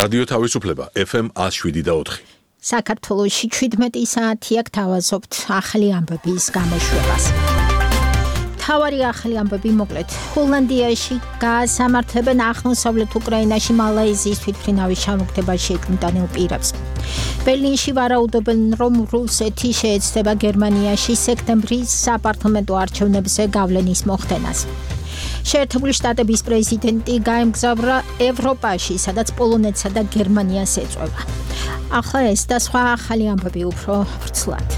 რადიო თავისუფლება FM 107.4. საქართველოში 17 საათია გთავაზობთ ახალი ამბების გამოშვებას. თავარი ახალი ამბები მოკლედ. ჰოლანდიაში გაასამართლებენ აღმოსავლეთ უკრაინაში მალაიზიის თვითმფრინავის ჩამოგდებაში ეკმტანილ პირებს. ბერლინში ვარაუდობენ, რომ რუსეთი შეეცდება გერმანიაში სექტემბრის საპარლამენტო არჩევნებზე გავლენის მოხდენას. შეერთებული შტატების პრეზიდენტი გაემგზავრა ევროპაში, სადაც პოლონეთსა და გერმანიას ეწვევა. ახლა ეს და სხვა ახალი ამბები უფრო ვრცლად.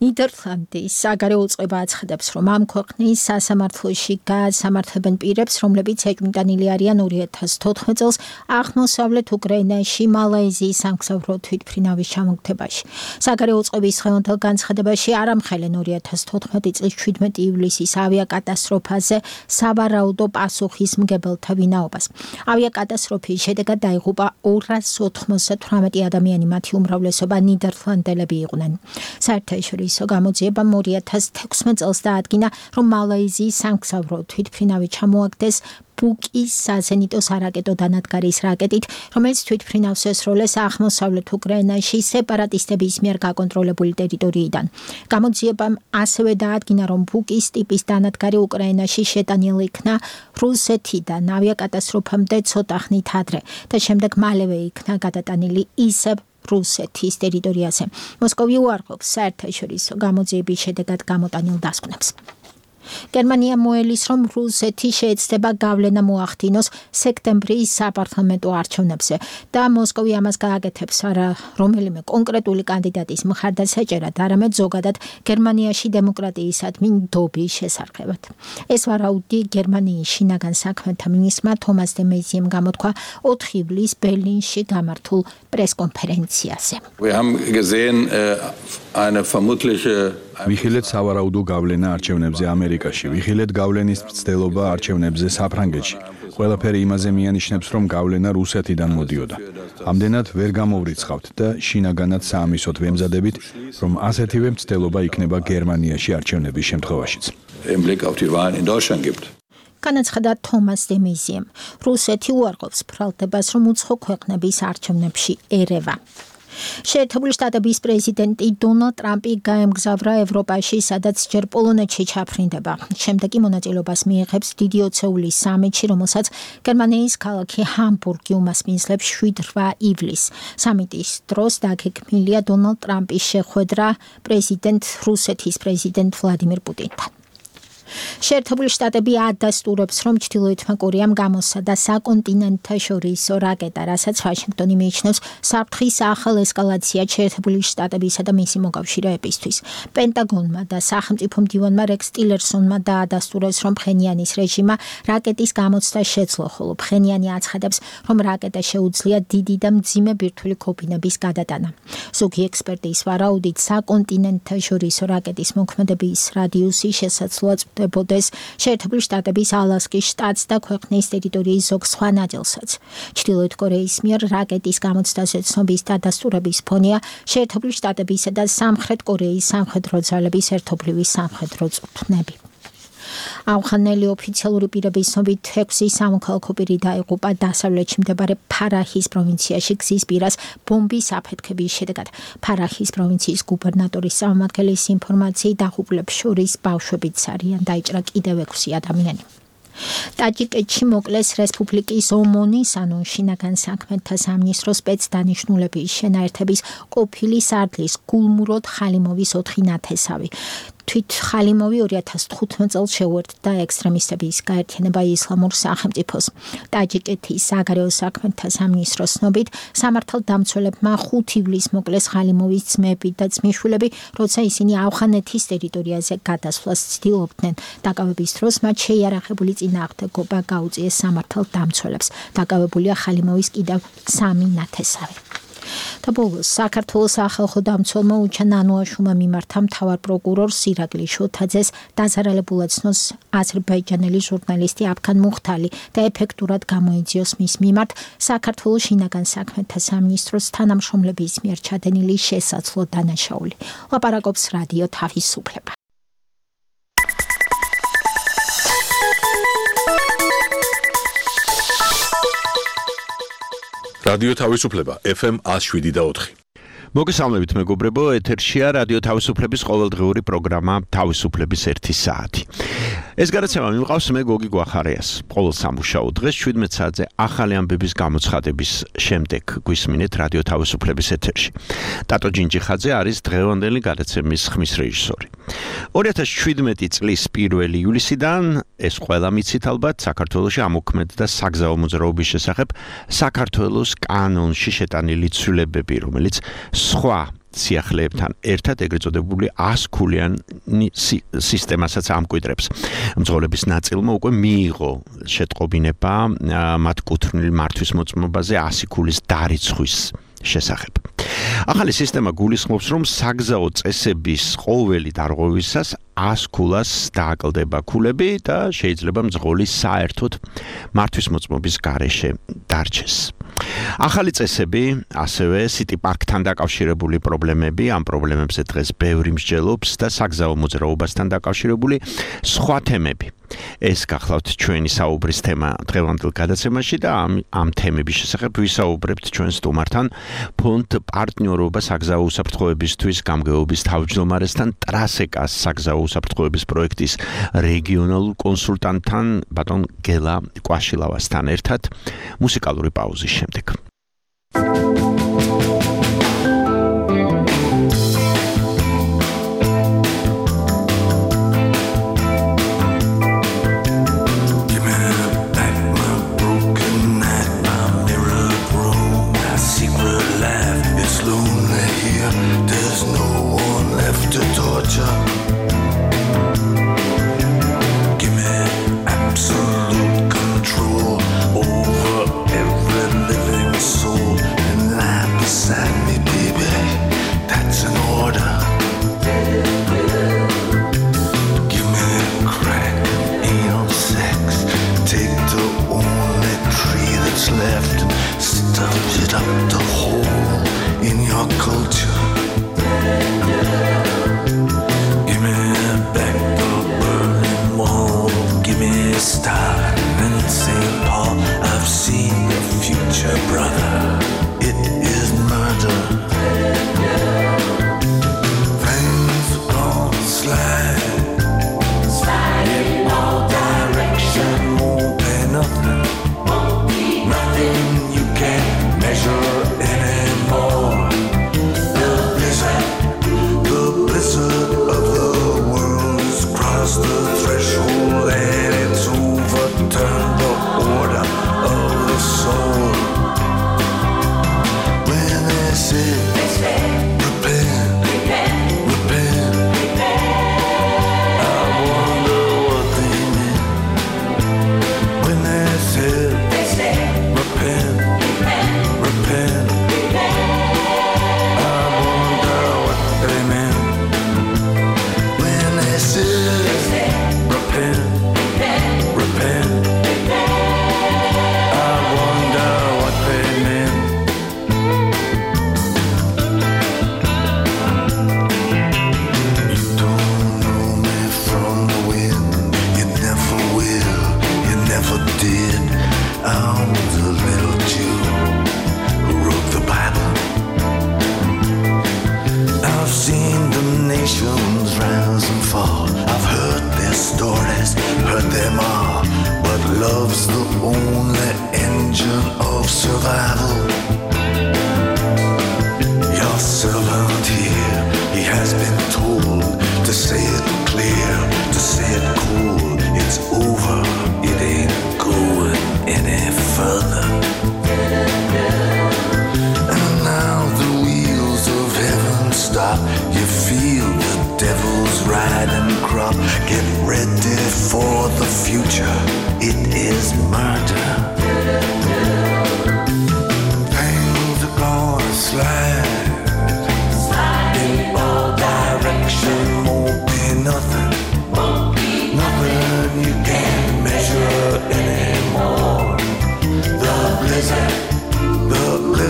ნიდერლანდის საგარეო წყობა აცხადებს, რომ ამ ქვეყნის სასამართლოში გაასამართლებენ პირებს, რომლებიც ეკმტანილი არიან 2014 წელს აღმოსავლეთ უკრაინაში მალაიზიის სამგზავრო თვითმფრინავის ჩამოგდებაში. საგარეო წყობის ხელმძღვანელ განცხადებაში არ ამხელენ 2014 წლის 17 ივლისის ავიაკატასტროფაზე სავარაუდო პასუხისმგებელთა ვინაობას. ავიაკატასტროფის შედეგად დაიღუპა 298 ადამიანი, მათი უმრავლესობა ნიდერლანდელები იყვნენ. საერთაშორისო გამოძიებამ 2016 წელს დაადგინა, რომ მალაიზიის სამგზავრო თვითმფრინავი ჩამოაგდეს ბუკის საზენიტო სარაკეტო დანადგარის რაკეტით, რომელიც თვითმფრინავს ესროლეს აღმოსავლეთ უკრაინაში სეპარატისტების მიერ გაკონტროლებული ტერიტორიიდან. გამოძიებამ ასევე დაადგინა, რომ ბუკის ტიპის დანადგარი უკრაინაში შეტანილი იქნა რუსეთიდან ავიაკატასტროფამდე ცოტა ხნით ადრე და შემდეგ მალევე იქნა გადატანილი ისევ რუსეთის ტერიტორიაზე. მოსკოვი უარყოფს საერთაშორისო გამოძიების შედეგად გამოტანილ დასკვნებს. გერმანია მოელის, რომ რუსეთი შეეცდება გავლენა მოახდინოს სექტემბრის საპარლამენტო არჩევნებზე და მოსკოვი ამას გააკეთებს არა რომელიმე კონკრეტული კანდიდატის მხარდასაჭერად, არამედ ზოგადად გერმანიაში დემოკრატიისადმი ნდობის შესარხევად. ეს ვარაუდი გერმანიის შინაგან საქმეთა მინისტრმა თომას დე მეიზიემ გამოთქვა 4 ივლისს ბერლინში გამართულ პრესკონფერენციაზე. ვიხილეთ სავარაუდო გავლენა არჩევნებზე ამერიკაში, ვიხილეთ გავლენის მცდელობა არჩევნებზე საფრანგეთში. ყველაფერი იმაზე მიანიშნებს, რომ გავლენა რუსეთიდან მოდიოდა. ამდენად ვერ გამოვრიცხავთ და შინაგანად საამისოდ ვემზადებით, რომ ასეთივე მცდელობა იქნება გერმანიაში არჩევნების შემთხვევაშიც. განაცხადა თომას დე მეიზიემ. რუსეთი უარყოფს ბრალდებას, რომ უცხო ქვეყნების არჩევნებში ერევა. შეერთებული შტატების პრეზიდენტი დონალდ ტრამპი გაემგზავრა ევროპაში, სადაც ჯერ პოლონეთში ჩაფრინდება. შემდეგ კი მონაწილეობას მიიღებს დიდი ოცეულის სამიტში, რომელსაც გერმანიის ქალაქი ჰამბურგი უმასპინძლებს 7-8 ივლისს. სამიტის დროს დაგეგმილია დონალდ ტრამპის შეხვედრა რუსეთის პრეზიდენტ ვლადიმირ პუტინთან. შეერთებული შტატები ადასტურებს, რომ ჩრდილოეთმა კორეამ გამოსცადა საკონტინენტთაშორისო რაკეტა, რასაც ვაშინგტონი მიიჩნევს საფრთხის ახალ ესკალაციად შეერთებული შტატებისა და მისი მოკავშირეებისთვის. პენტაგონმა და სახელმწიფო მდივანმა რექს ტილერსონმა დაადასტურეს, რომ ფხენიანის რეჟიმმა რაკეტის გამოცდა შეძლო, ხოლო ფხენიანი აცხადებს, რომ რაკეტა შეუძლია დიდი და მძიმე ბირთვული ქოფინების გადატანა. ზოგი ექსპერტის ვარაუდით, საკონტინენტთაშორისო რაკეტის მოქმედების რადიუსი შესაძლოა დებოდეს შეერთებული შტატების ალასკის შტატს და ქვეყნის ტერიტორიის ზოგ სხვა ნაწილსაც. ჩრდილოეთ კორეის მიერ რაკეტის გამოცდაზე ცნობის დადასტურების ფონია შეერთებული შტატებისა და სამხრეთ კორეის სამხედრო ძალების ერთობლივი სამხედრო წვრთნები. ავღანელი ოფიციალური პირების ცნობით 6 სამოქალაქო პირი დაიღუპა დასავლეთში მდებარე ფარაჰის პროვინციაში გზის პირას ბომბის აფეთქების შედეგად. ფარაჰის პროვინციის გუბერნატორის წარმომადგენლის ინფორმაციით დაღუპულებს შორის ბავშვებიც არიან, დაიჭრა კიდევ 6 ადამიანი. ტაჯიკეთში მოკლეს რესპუბლიკის ომონის, ანუ შინაგან საქმეთა სამინისტროს სპეცდანიშნულების შენაერთების ყოფილი სარდლის გულმუროდ ხალიმოვის 4 ნათესავი. თვით ხალიმოვი 2015 წელს შეუერთდა ექსტრემისტების გაერთიანება ისლამურ სახელმწიფოს. ტაჯიკეთის საგარეო საქმეთა სამინისტროს ცნობით, სამართალდამცველებმა 5 ივლისს მოკლეს ხალიმოვის ძმები და ძმისშვილები, როცა ისინი ავღანეთის ტერიტორიაზე გადასვლას ცდილობდნენ. დაკავების დროს მათ შეიარაღებული წინააღმდეგობა გაუწიეს სამართალდამცველებს. დაკავებულია ხალიმოვის კიდევ 3 ნათესავი. და ბოლოს საქართველოს სახალხო დამცველმა უჩან ანუაშუმა მიმართა მთავარ პროკურორ სირაგლი შოთაძეს დაზარალებულად ცნოს აზერბაიჯანელი ჟურნალისტი აფქან მუხთალი და ეფექტურად გამოიძიოს მის მიმართ საქართველოს შინაგან საქმეთა სამინისტროს თანამშრომლების მიერ ჩადენილი შესაძლო დანაშაული. ლაპარაკობს რადიო თავისუფლება. რადიო თავისუფლება FM 107.4. მოგესალმებით მეგობრებო, ეთერშია რადიო თავისუფლების ყოველდღიური პროგრამა თავისუფლების 1 საათი. ეს გადაცემა მიმყავს მე გოგი გვახარიას. ყოველ სამუშაო დღეს 17 საათზე ახალი ამბების გამოცხადების შემდეგ გვისმინეთ რადიო თავისუფლების ეთერში. ტატო ჯინჯიხაძე არის დღევანდელი გადაცემის ხმის რეჟისორი. 2017 წლის 1 ივლისიდან ეს ყველა მიცით ალბათ საქართველოში ამოქმედდა საგზაო მოძრაობის შესახებ საქართველოს კანონში შეტანილი ცვლილებები, რომელიც სხვა სიახლეებთან ერთად ეგრეთ წოდებული 100 ქულიანი სისტემასაც ამკვიდრებს. მძღოლების ნაწილმა უკვე მიიღო შეტყობინება მათ კუთვნილი მართვის მოწმობაზე 100 ქულის დარიცხვის შესახებ. ახალი სისტემა გულისხმობს, რომ საგზაო წესების ყოველი დარღვევისას 100 ქულას დააკლდება ქულები და შეიძლება მძღოლი საერთოდ მართვის მოწმობის გარეშე დარჩეს. ახალი წესები, ასევე City Park-თან დაკავშირებული პრობლემები, ამ პრობლემებზე დღეს ბევრი მსჯელობს და საგზაო მოძრაობასთან დაკავშირებული სხვა თემები. ეს გახლავთ ჩვენი საუბრის თემა დღევანდელ გადაცემაში და ამ თემების შესახებ ვისაუბრებთ ჩვენ სტუმართან ფონდ პარტნიორობა საგზაო უსაფრთხოებისთვის გამგეობის თავმჯდომარესთან ტრასეკას საგზაო უსაფრთხოების პროექტის რეგიონალურ კონსულტანტთან ბატონ გელა კვაშილავასთან ერთად მუსიკალური პაუზის შემდეგ.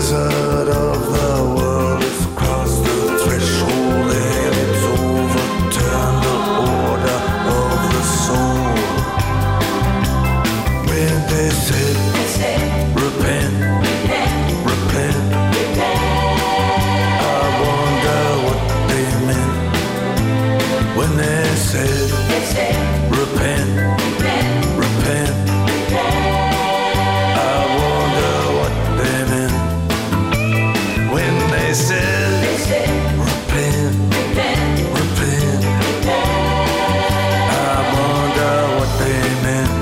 blizzard of the world has crossed the threshold and it's overturned the order of the soul. When they said, repent, repent, repent. When they said, repent, repent, I wonder what they meant. When they said, repent, repent, I wonder what they meant.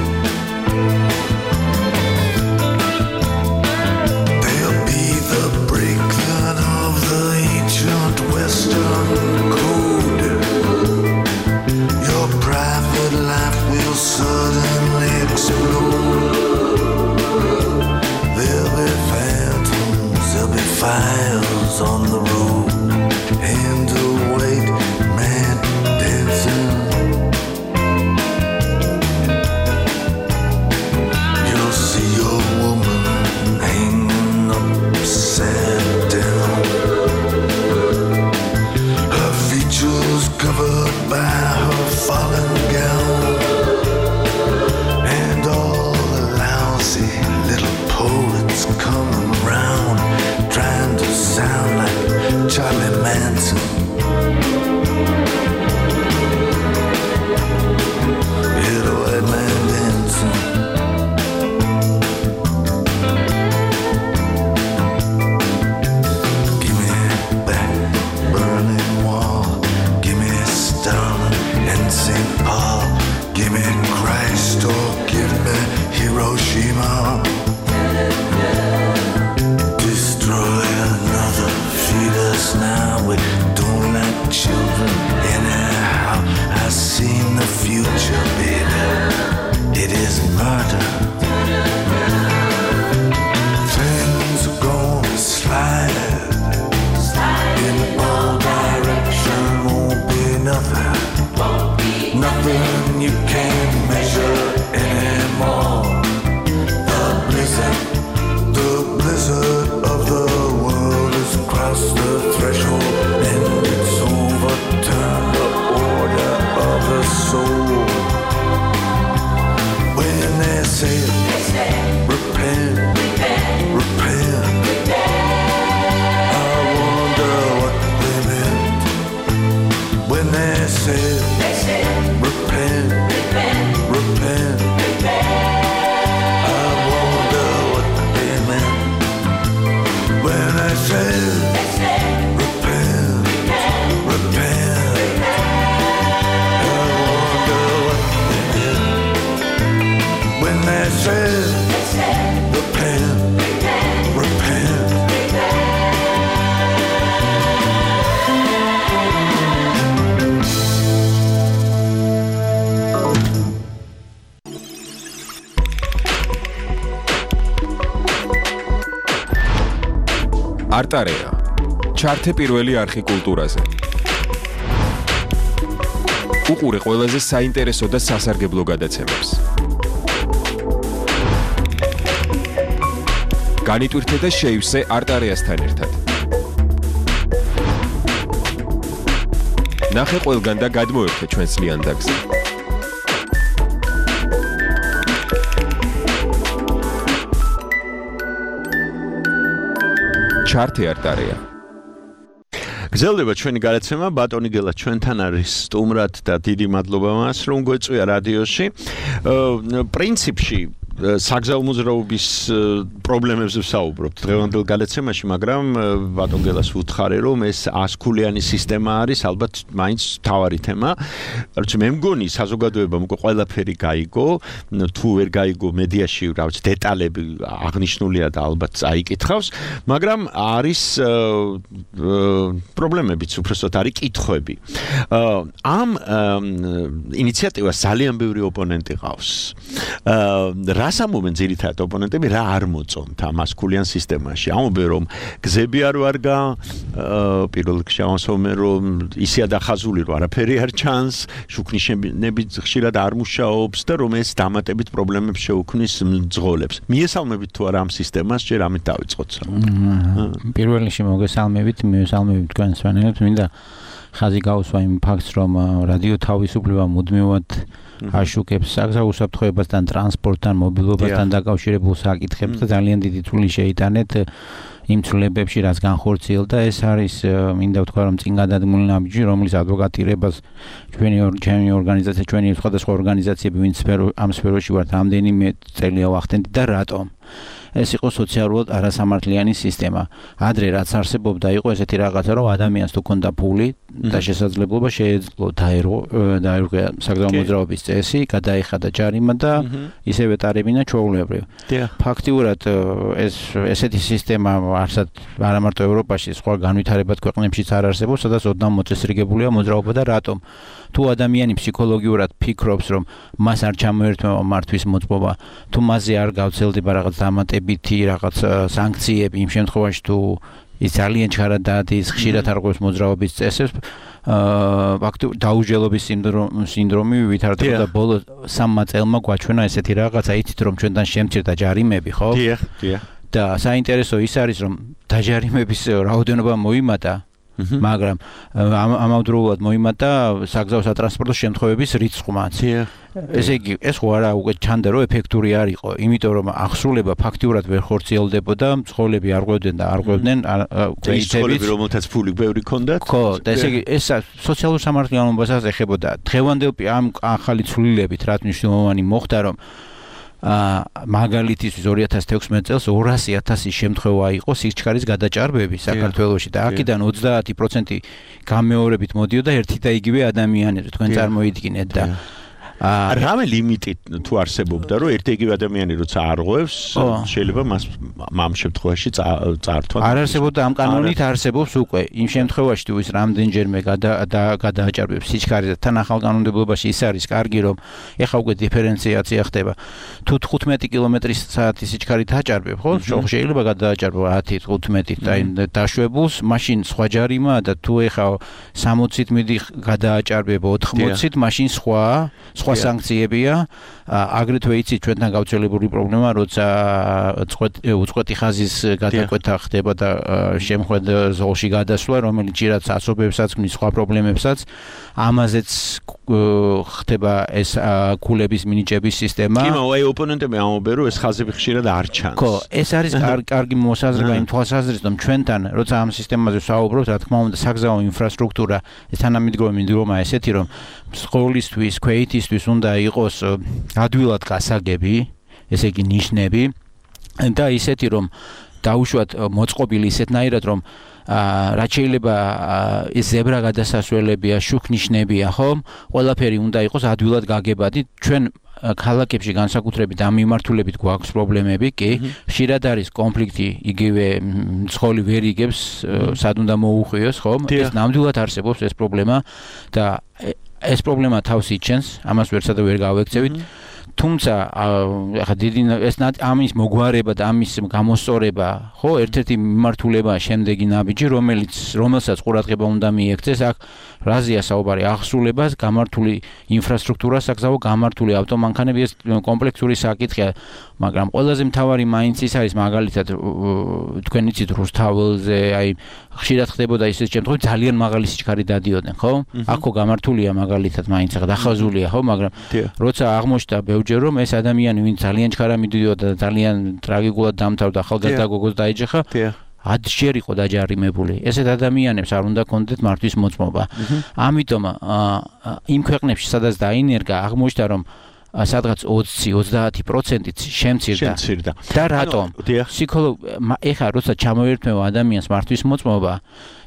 They'll be the breakdown of the ancient Western code. Your private life will suddenly explode. There'll be phantoms, there'll be fires on the road. Hands await, man dancing. You'll see your woman hanging upside down. Her features covered by her fallen gown. And all the lousy little poets coming round, trying to sound like Charlie Manson. Hear the white man dancing. Give me back Berlin Wall. Give me Stalin and St. Paul. Give me Christ or give me Hiroshima. Destroy another, feed us now. We don't like children anyhow. I've seen the future, baby. It is murder. Things are gonna slide in all directions. Won't be nothing, nothing you can't measure anymore. The blizzard of the world has crossed the threshold, and it's overturned the order of the soul. When they say, repent, repent, I wonder what they meant. When they say, repent, repent, I wonder what they meant. When I say, repent, repent, I wonder what they meant. When they say, repent, repent. არტარეა ჩართე პირველი არხი კულტურაზე. უყურე ყველაზე საინტერესო და სასარგებლო გადაცემებს. განიტვირთე და შეივსე არტარეასთან ერთად. ნახე ყველგან და გადმოერთე ჩვენს ლიანდაგზე. ჩართე არტარეა. გრძელდება ჩვენი გადაცემა, ბატონი გელა ჩვენთან არის სტუმრად და დიდი მადლობა მას, რომ გვეწვია რადიოში. პრინციპში საგზაო მოძრაობის პრობლემებზე ვსაუბრობთ დღევანდელ გადაცემაში, მაგრამ ბატონ გელას ვუთხარი, რომ ეს 100 ქულიანი სისტემა არის, ალბათ მაინც მთავარი თემა. რაც მე მგონი საზოგადოებამ უკვე ყველაფერი გაიგო, თუ ვერ გაიგო მედიაში, რაც დეტალები აღნიშნულია და ალბათ წაიკითხავს, მაგრამ არის პრობლემებიც, უბრალოდ არის კითხვები. ამ ინიციატივას ძალიან ბევრი ოპონენტი ყავს. რას ამობენ ძირითადად ოპონენტები, რა არ მოწონთ ამ 100 ქულიან სისტემაში? ამობენ, რომ გზები არ ვარგა, პირველ რიგში ამასობენ, რომ ისე დახაზული, რომ არაფერი არ ჩანს, შუქნიშნები ხშირად არ მუშაობს და რომ ეს დამატებით პრობლემებს შეუქმნის მძღოლებს. მიესალმებით თუ არა ამ სისტემას, ჯერ ამით დავიწყოთ. პირველ რიგში მოგესალმებით, მივესალმებით თქვენ სვანელებს, მინდა ხაზი გავუსვა იმ ფაქტს, რომ რადიო თავისუფლება მუდმივად აშუქებს საგზაო უსაფრთხოებასთან, ტრანსპორტთან, მობილობასთან დაკავშირებულ საკითხებს და ძალიან დიდი თვლი შეიტანეთ იმ ცვლილებებში, რაც განხორციელდა. ეს არის მინდა ვთქვა, რომ წინ გადადგმული ნაბიჯი, რომლის ადვოკატირებას ჩვენი ორგანიზაცია, ჩვენი სხვადასხვა ორგანიზაციები, ვინც ამ სფეროში ვართ, ამდენიმე წელია ვახდენთ და რატომ? ეს იყო სოციალურად არასამართლიანი სისტემა. ადრე რაც არსებობდა, იყო ესეთი რაღაცა, რომ ადამიანს თუ ქონდა ფული და შესაძლებლობა შეეძლო დაერღვა საგზაო მოძრაობის წესი, გადაეხადა ჯარიმა და ისევე ტარებინა ჩვეულებრივ. ფაქტიურად ესეთი სისტემა არა მარტო ევროპაში, სხვა განვითარებად ქვეყნებშიც არ არსებობს, სადაც ოდნავ მოწესრიგებულია მოძრაობა და რატომ? თუ ადამიანი ფსიქოლოგიურად ფიქრობს, რომ მას არ ჩამოერთმევა მართვის მოწმობა, თუ მასზე არ გავცელდება რაღაც დამატებითი რაღაც სანქციები, იმ შემთხვევაში თუ ის ძალიან ჩქარად დადის, ხშირად არღვევს მოძრაობის წესებს, ფაქტობრივად დაუჯელობის სინდრომი ვითარდება და ბოლო 3 წელმა გვაჩვენა ესეთი რაღაცა, იცით რომ ჩვენთან შემცირდა ჯარიმები, ხო? დიახ. და საინტერესო ის არის, რომ დაჯარიმების რაოდენობა მოიმატა, მაგრამ ამავდროულად მოიმატა საგზაო სატრანსპორტო შემთხვევების რიცხვმაც. ესე იგი, ეს ხო არა უკვე ჩანდა, რომ ეფექტური არ იყო, იმიტომ რომ აღსრულება ფაქტიურად ვერ ხორციელდებოდა, მცხოვრები არ ყვევდნენ და არ ყვევდნენ კეითებით, რომელთაც ფული ბევრი ჰქონდათ. ხო, და ესე იგი, ეს სოციალურ სამართლიანობასაც ეხებოდა. დღევანდელ ამ ახალი ცვლილებით, რაც მნიშვნელოვანი მოხდა, რომ მაგალითისთვის 2016 წელს 200,000 შემთხვევა იყო სიჩქარის გადაჭარბები საქართველოში და აქედან 30% გამეორებით მოდიოდა ერთი და იგივე ადამიანები, თქვენ წარმოიდგინეთ და რამე ლიმიტი თუ არსებობდა, რომ ერთი იგივე ადამიანი როცა არღვევს, შეიძლება მას ამ შემთხვევაში წართვა. არ არსებობდა ამ კანონით არსებობს უკვე. იმ შემთხვევაში თუ ის რამდენჯერმე გადააჭარბებს სიჩქარეს და თან ახალ კანონმდებლობაში ის არის კარგი, რომ ეხა უკვე დიფერენციაცია ხდება. თუ 15 კმ/სთ სიჩქარით აჭარბებ, ხო? შეიძლება გადააჭარბო 10-15 და დაშვებულს, მაშინ სხვა ჯარიმაა და თუ ეხა 60-ით მიდი გადააჭარბებ 80-ით, მაშინ სხვა სანქციებია. აგრეთვე იცით ჩვენთან გავრცელებული პრობლემა, როცა უწყვეტი ხაზის გადაკვეთა ხდება და შემხვედ ზოლში გადასვლა, რომელიც ჭირად ასობებსაც ქმნის, სხვა პრობლემებსაც, ამაზეც ხდება ეს ქულების მინიჭების სისტემა. კი, მაგრამ ოპონენტები ამბობენ, რომ ეს ხაზები ხშირად არ ჩანს. ხო, ეს არის კარგი მოსაზრება იმ თვალსაზრისით, რომ ჩვენთან, როცა ამ სისტემაზე ვსაუბრობთ, რა თქმა უნდა, საგზაო ინფრასტრუქტურა თანამედროვე მდგომა ესეთი, რომ სკოლისთვის, ქვეითისთვის უნდა იყოს ადვილად გასაგები, ესე იგი ნიშნები და ისეთი რომ დაუშვათ მოწყობილი ისეთნაირად რომ რაც შეიძლება ეს ზებრა გადასასვლელებია, შუქნიშნებია, ხო? ყველაფერი უნდა იყოს ადვილად გაგებადი. ჩვენ ქალაქებში განსაკუთრებით ამ მიმართულებით გვაქვს პრობლემები, კი? ხშირად არის კონფლიქტი, იგივე მძღოლი ვერ იგებს, სად უნდა მოუხვიოს, ხო? ეს ნამდვილად არსებობს ეს პრობლემა და ეს პრობლემა თავს იჩენს, ამას ვერცად ვერ გავექცევით. თუმცა ახლა დიდი ამის მოგვარება და ამის გამოსწორება, ხო, ერთ-ერთი მიმართულება შემდეგი ნაბიჯი, რომელსაც ყურადღება უნდა მიექცეს, აქ რაზეა საუბარი, აღსრულებას, გამართული ინფრასტრუქტურა, საგზაო გამართული ავტომანქანები, ეს კომპლექსური საკითხია, მაგრამ ყველაზე მთავარი მაინც ის არის, მაგალითად, თქვენ იცით რუსთაველზე, აი ხშირად ხდებოდა ისეთ შემთხვევაში, ძალიან მაღალი სიჩქარე დადიოდნენ, ხო? აქო გამართულია მაგალითად, მაინც ახლა დახაზულია, ხო, მაგრამ როცა აღმოჩნდა ბევრჯერ რომ ეს ადამიანი, ვინც ძალიან ჩქარა მიდიოდა და ძალიან ტრაგიკულად დამთავრდა, ახალგაზრდა გოგოს დაეჯახა, 10 ჯერ იყო დაჯარიმებული. ესეთ ადამიანებს არ უნდა კონდეთ მართვის მოწმობა. ამიტომ იმ ქვეყნებში, სადაც დაინერგა, აღმოჩნდა რომ სადღაც 20-30%-ით შემცირდა. და რატომ? ეხლა როცა ჩამოერთმევა ადამიანს მართვის მოწმობა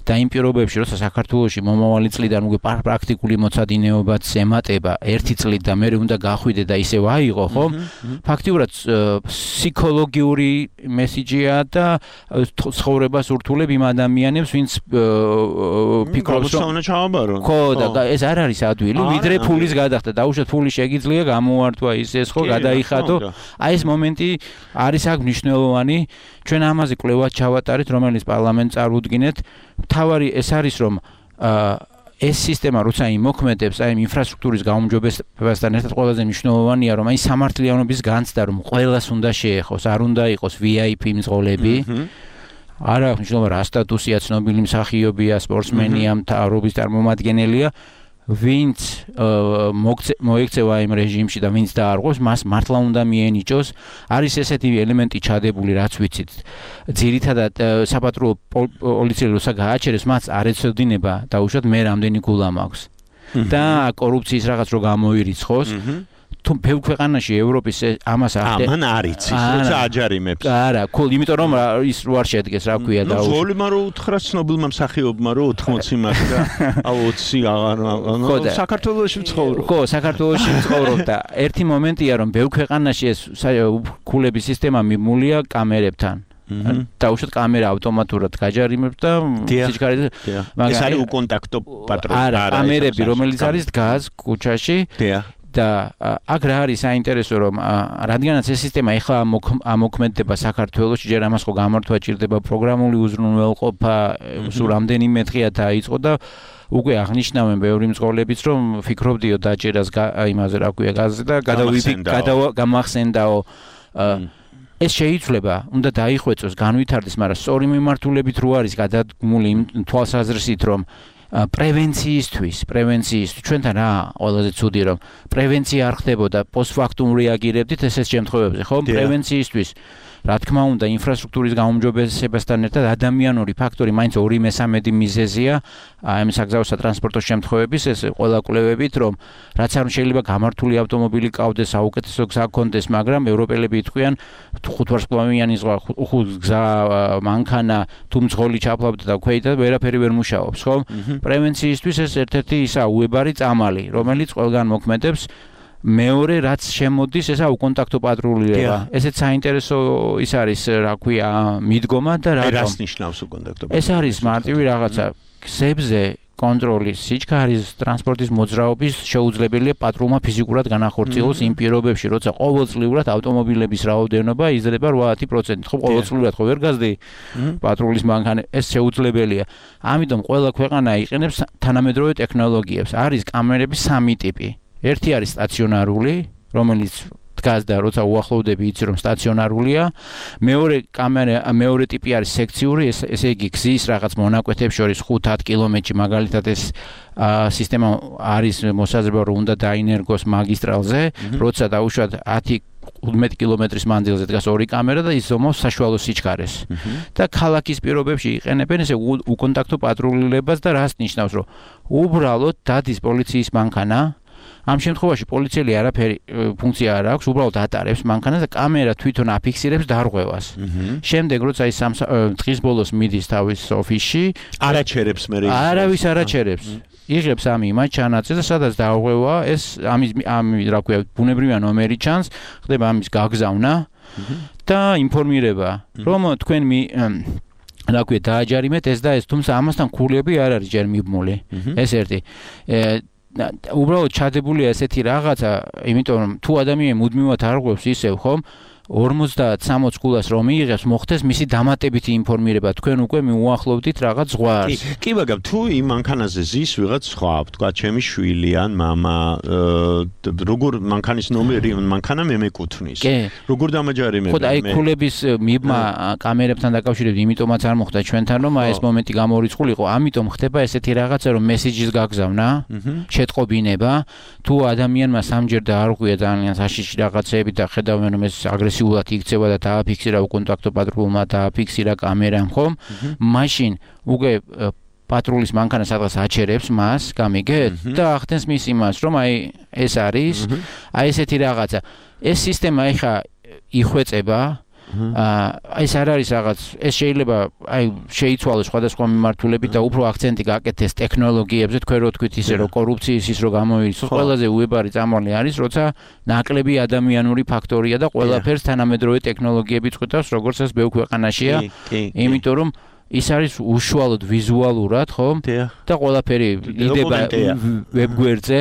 და იმ პირობებში, როცა საქართველოში მომავალი წლიდან უკვე პრაქტიკული მოცადინეობაც ემატება 1 წლით და მე უნდა გახვიდე და ისევ აიღო, ხო? ფაქტიურად ფსიქოლოგიური მესიჯია და ცხოვრებას ურთულებ იმ ადამიანებს, ვინც ფიქრობს, რომ ხო, და ეს არ არის ადვილი, ვიდრე ფულის გადახდა. დაუშვათ ფული შეგიძლია გამოვართვა ის ხო, გადაიხადო. აი ეს მომენტი არის აქ მნიშვნელოვანი. ჩვენ ამაზე კვლევას ჩავატარეთ, რომელიც პარლამენტს წარუდგინეთ. თავარი ეს არის, რომ ეს სისტემა როცა იმოქმედებს, აი ინფრასტრუქტურის გაუმჯობესებასთან ერთად ყველაზე მნიშვნელოვანია, რომ აი სამართლიანობის განცდა, რომ ყველას უნდა შეეხოს, არ უნდა იყოს VIP მძღოლები. არა, მნიშვნელოვანია რა სტატუსია, ცნობილი მსახიობია, სპორტსმენია, მთავრობის წარმომადგენელია. ვინც მოექცევა იმ რეჟიმში და ვინც დაარღვევს, მას მართლა უნდა მიენიჭოს. არის ესეთი ელემენტი ჩადებული, რაც ვიცით. ძირითადად საპატრულო პოლიციელი როცა გააჩერებს, მას არ ეცოდინება დაუშვათ მე რამდენი გულა მაქვს. და კორუფციის რაღაც რო გამოირიცხოს. თუ ბევრ ქვეყანაში ევროპის ამას ამან არიცის, როცა აჯარიმებს. არა, იმიტომ რომ ის რო არ შედგეს, რა ქვია და ვოლიმა რო უთხრა ცნობილმა მსახიობმა რო 80 მაქვს და 20 აღარ საქართველოში ვცხოვრობ. ხო, საქართველოში ვცხოვრობ და ერთი მომენტია რომ ბევრ ქვეყანაში ეს ქულების სისტემა მიმულია კამერებთან. დაუშვათ კამერა ავტომატურად გაჯარიმებს და სიჩქარე ეს არის უკონტაქტო პატრული. არა, კამერები რომელიც არის დგას ქუჩაში. და აქ რა არის საინტერესო რომ რადგანაც ეს სისტემა ეხლა ამოქმედდება საქართველოში, ჯერ ამას ხო გამართვა ჭირდება პროგრამული უზრუნველყოფა, სულ რამდენიმე დღეა დაიწყო და უკვე აღნიშნავენ ბევრი მძღოლებიც რომ ფიქრობდიო დაჭერას იმაზე რა ქვია გაზზე და გამახსენდაო ეს შეიძლება უნდა დაიხვეწოს, განვითარდეს, მაგრამ სწორი მიმართულებით რო არის გადადგმული იმ თვალსაზრისით რომ პრევენციისთვის ჩვენთან რა ყველაზე ცუდი რომ პრევენცია არ ხდებოდა პოსტფაქტუმ რეაგირებდით ესეთ შემთხვევებზე ხო პრევენციისთვის რა თქმა უნდა ინფრასტრუქტურის გაუმჯობესებასთან ერთად ადამიანური ფაქტორი მაინც 2/3 მიზეზია ამ საგზაო სატრანსპორტო შემთხვევების ეს ყველა კვლევებით რომ რაც არ შეიძლება გამართული ავტომობილი ყავდეს საუკეთესო გზა ჰქონდეს მაგრამ ევროპელები იტყვიან 5 ვარსკვლავიანი ზღვა 5 გზა მანქანა თუ მძღოლი ჩაფლავდა და ქვეითად ვერაფერი ვერ მუშაობს ხო პრევენციისთვის ეს ერთ-ერთი ისა უებარი წამალი რომელიც ყველგან მოქმედებს მეორე რაც შემოდის ესა უკონტაქტო პატრულირება ესეც საინტერესო ის არის რა ქვია მიდგომა და რას ნიშნავს უკონტაქტო ეს არის მარტივი რაღაცა გზებზე კონტროლის სიჩქარის ტრანსპორტის მოძრაობის შეუძლებელია პატრულმა ფიზიკურად განახორციელოს იმ პირობებში როცა ყოველწლიურად ავტომობილების რაოდენობა იზრდება 8%. ხო ყოველწლიურად ხო ვერ გაზდი პატრულის მანქანა ეს შეუძლებელია ამიტომ ყველა ქვეყანა იყენებს თანამედროვე ტექნოლოგიებს არის კამერების სამი ტიპი ერთი არის სტაციონარული, რომელიც დგას და როცა უახლოვდები იცი რომ სტაციონარულია. მეორე ტიპი არის სექციური, ესე იგი გზის რაღაც მონაკვეთებს შორის 5-10 კილომეტრში მაგალითად ეს სისტემა არის მოსაზრება რომ უნდა დაინერგოს მაგისტრალზე, როცა დაუშვათ 10-15 კილომეტრის მანძილზე დგას ორი კამერა და ის ზომავს საშუალო სიჩქარეს. და ქალაქის პირობებში იყენებენ ესე უკონტაქტო პატრულირებას და რას ნიშნავს რომ უბრალოდ დადის პოლიციის მანქანა ამ შემთხვევაში პოლიციელი არაფერი ფუნქცია არ აქვს, უბრალოდ ატარებს მანქანას და კამერა თვითონ აფიქსირებს დარღვევას. შემდეგ როცა ის დღის ბოლოს მიდის თავის ოფისში, არაჩერებს მე არავის არაჩერებს. იღებს ამ იმას ჩანაწერს და სადაც დარღვევა, ეს ამის რა ქვია, ბუნებრივია ნომერი ჩანს, ხდება ამის გაგზავნა და ინფორმირება, რომ თქვენ რა ქვია, დააჯარიმეთ ეს და ეს, თუმცა ამასთან ქულები არ არის ჯერ მიბმული. ეს ერთი უბრალოდ ჩადებულია ესეთი რაღაცა, იმიტომ რომ თუ ადამიანი მუდმივად არღვევს ისევ ხომ 50-60 გულას რომ მიიღებს, მოხდეს მისი დამატებითი ინფორმირება, თქვენ უკვე მიუახლოვდით რაღაც ზღვარს. კი, მაგრამ თუ იმ მანქანაზე ზის ვიღაც სხვა, თქვა ჩემი შვილი ან მამა, როგორ მანქანის ნომერი, მანქანა მე მეკუთვნის. როგორ დამაჯარიმებ? ხო, აი ქულების მიბმა კამერებთან დაკავშირებით, იმიტომაც არ მოხდა ჩვენთან, რომ ეს მომენტი გამორიცხულიყო, ამიტომ ხდება ესეთი რაღაცა, რომ მესიჯის გაგზავნა, შეტყობინება, თუ ადამიანმა სამჯერ დაარღვია ძალიან საშიში რაღაცეები და ხედავენ რომ ეს აგრესიულად იქცევა და დააფიქსირა უკონტაქტო პატრულმა დააფიქსირა კამერამ ხომ მაშინ უკვე პატრულის მანქანა სადღაც აჩერებს მას გამიგეთ და ახდენს მის იმას რომ აი ეს არის აი ესეთი რაღაცა ეს სისტემა ეხა იხვეწება ეს არ არის რაღაც ეს შეიძლება აი შეიცვალოს სხვადასხვა მიმართულებით და უფრო აქცენტი გააკეთეს ტექნოლოგიებზე თქვენ რო თქვით ისე რომ კორუფციის ის რო გამოირიცხოს ყველაზე უებარი წამალი არის როცა ნაკლები ადამიანური ფაქტორია და ყველაფერს თანამედროვე ტექნოლოგიები წყვეტავს როგორც ეს ბევრ ქვეყანაშია იმიტომ რომ ის არის უშუალოდ ვიზუალურად ხო და ყველაფერი იდება ვებგვერდზე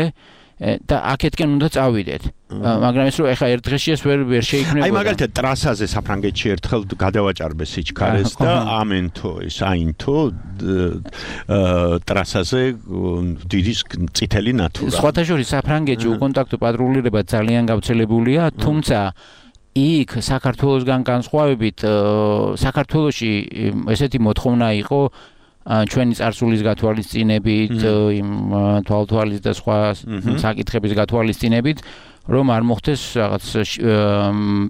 და აქეთკენ უნდა წავიდეთ. მაგრამ ეს რომ ეხა ერთ დღეში ეს ვერ შეიქმნებოდა. აი მაგალითად ტრასაზე საფრანგეთში ერთხელ გადავაჭარბე სიჩქარეს და ამენთო ეს აინთო ტრასაზე დიდი წითელი ნათურა. სხვათა შორის საფრანგეთში უკონტაქტო პატრულირება ძალიან გავრცელებულია, თუმცა იქ საქართველოსგან განსხვავებით საქართველოში ესეთი მოთხოვნა იყო ჩვენი წარსულის გათვალისწინებით, იმ თვალთვალის და სხვა საკითხების გათვალისწინებით, რომ არ მოხდეს რაღაც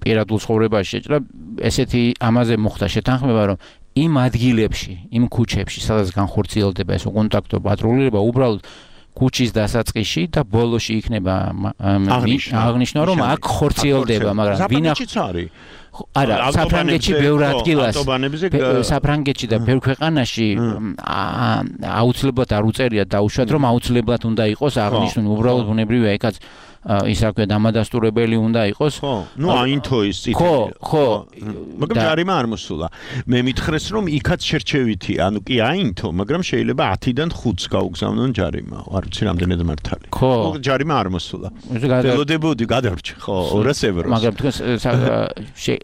პირადულ ცხოვრებაში შეჭრა, ესეთი ამაზე მოხდა შეთანხმება, რომ იმ ადგილებში, იმ ქუჩებში, სადაც განხორციელდება ეს კონტაქტო პატრულირება, უბრალოდ ქუჩის დასაწყისში და ბოლოში იქნება აღნიშნვა, რომ აქ ხორციელდება, მაგრამ ვინახავს არის არა, საფრანგეთში ბევრ ადგილას, საფრანგეთში და ბევრ ქვეყანაში აუცილებლად არ უწერიათ დაუშვათ, რომ აუცილებლად უნდა იყოს აღნიშნული, უბრალოდ ბუნებრივია, ეკაც ის რა ქვია დამადასტურებელი უნდა იყოს. ნუ აინთო ის წითელი. ხო. მაგრამ ჯარიმა არ მოსულა. მე მითხრეს რომ იქაც შერჩევითი, ანუ კი აინთო, მაგრამ შეიძლება 10-დან 5-ს გაუგზავნონ ჯარიმა. არ ვიცი რამდენად მართალი. ხო, ჯარიმა არ მოსულა. ველოდებოდი გადარჩა, ხო, 200 ევროს. მაგრამ თქვენ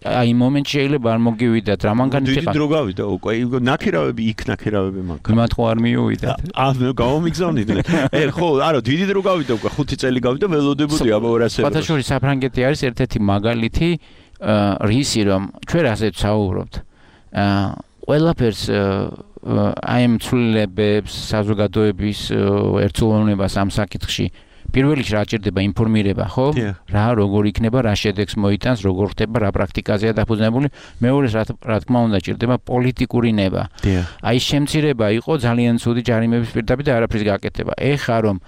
აი მომენტში შეიძლება არ მოგივიდათ რა მანქანით იყო. დიდი დრო გავიდა უკვე, ნაქირავები იქ ნაქირავები მაგ. იმათ ხო არ მიუვიდათ. გამომიგზავნიდნენ. ხო, არა, დიდი დრო გავიდა უკვე, 5 წელი გავიდა ველოდებოდი. ფათაშური საფრანგეთი არის ერთ-ერთი მაგალითი რისი რომ ჩვენ ასეთ საუბრობთ ყველაფერს აი ამ ცვლილებებს საზოგადოების ერთსულოვნებას ამ საკითხში პირველ რიგში რა ჭირდება ინფორმირება ხო რა როგორ იქნება რა შედეგს მოიტანს როგორ ხდება რა პრაქტიკაზეა დაფუძნებული მეორე რა თქმა უნდა ჭირდება პოლიტიკური ნება აი შემცირება იყო ძალიან ცუდი ჯარიმების პირდაპირ და არაფრის გაკეთება ეხა რომ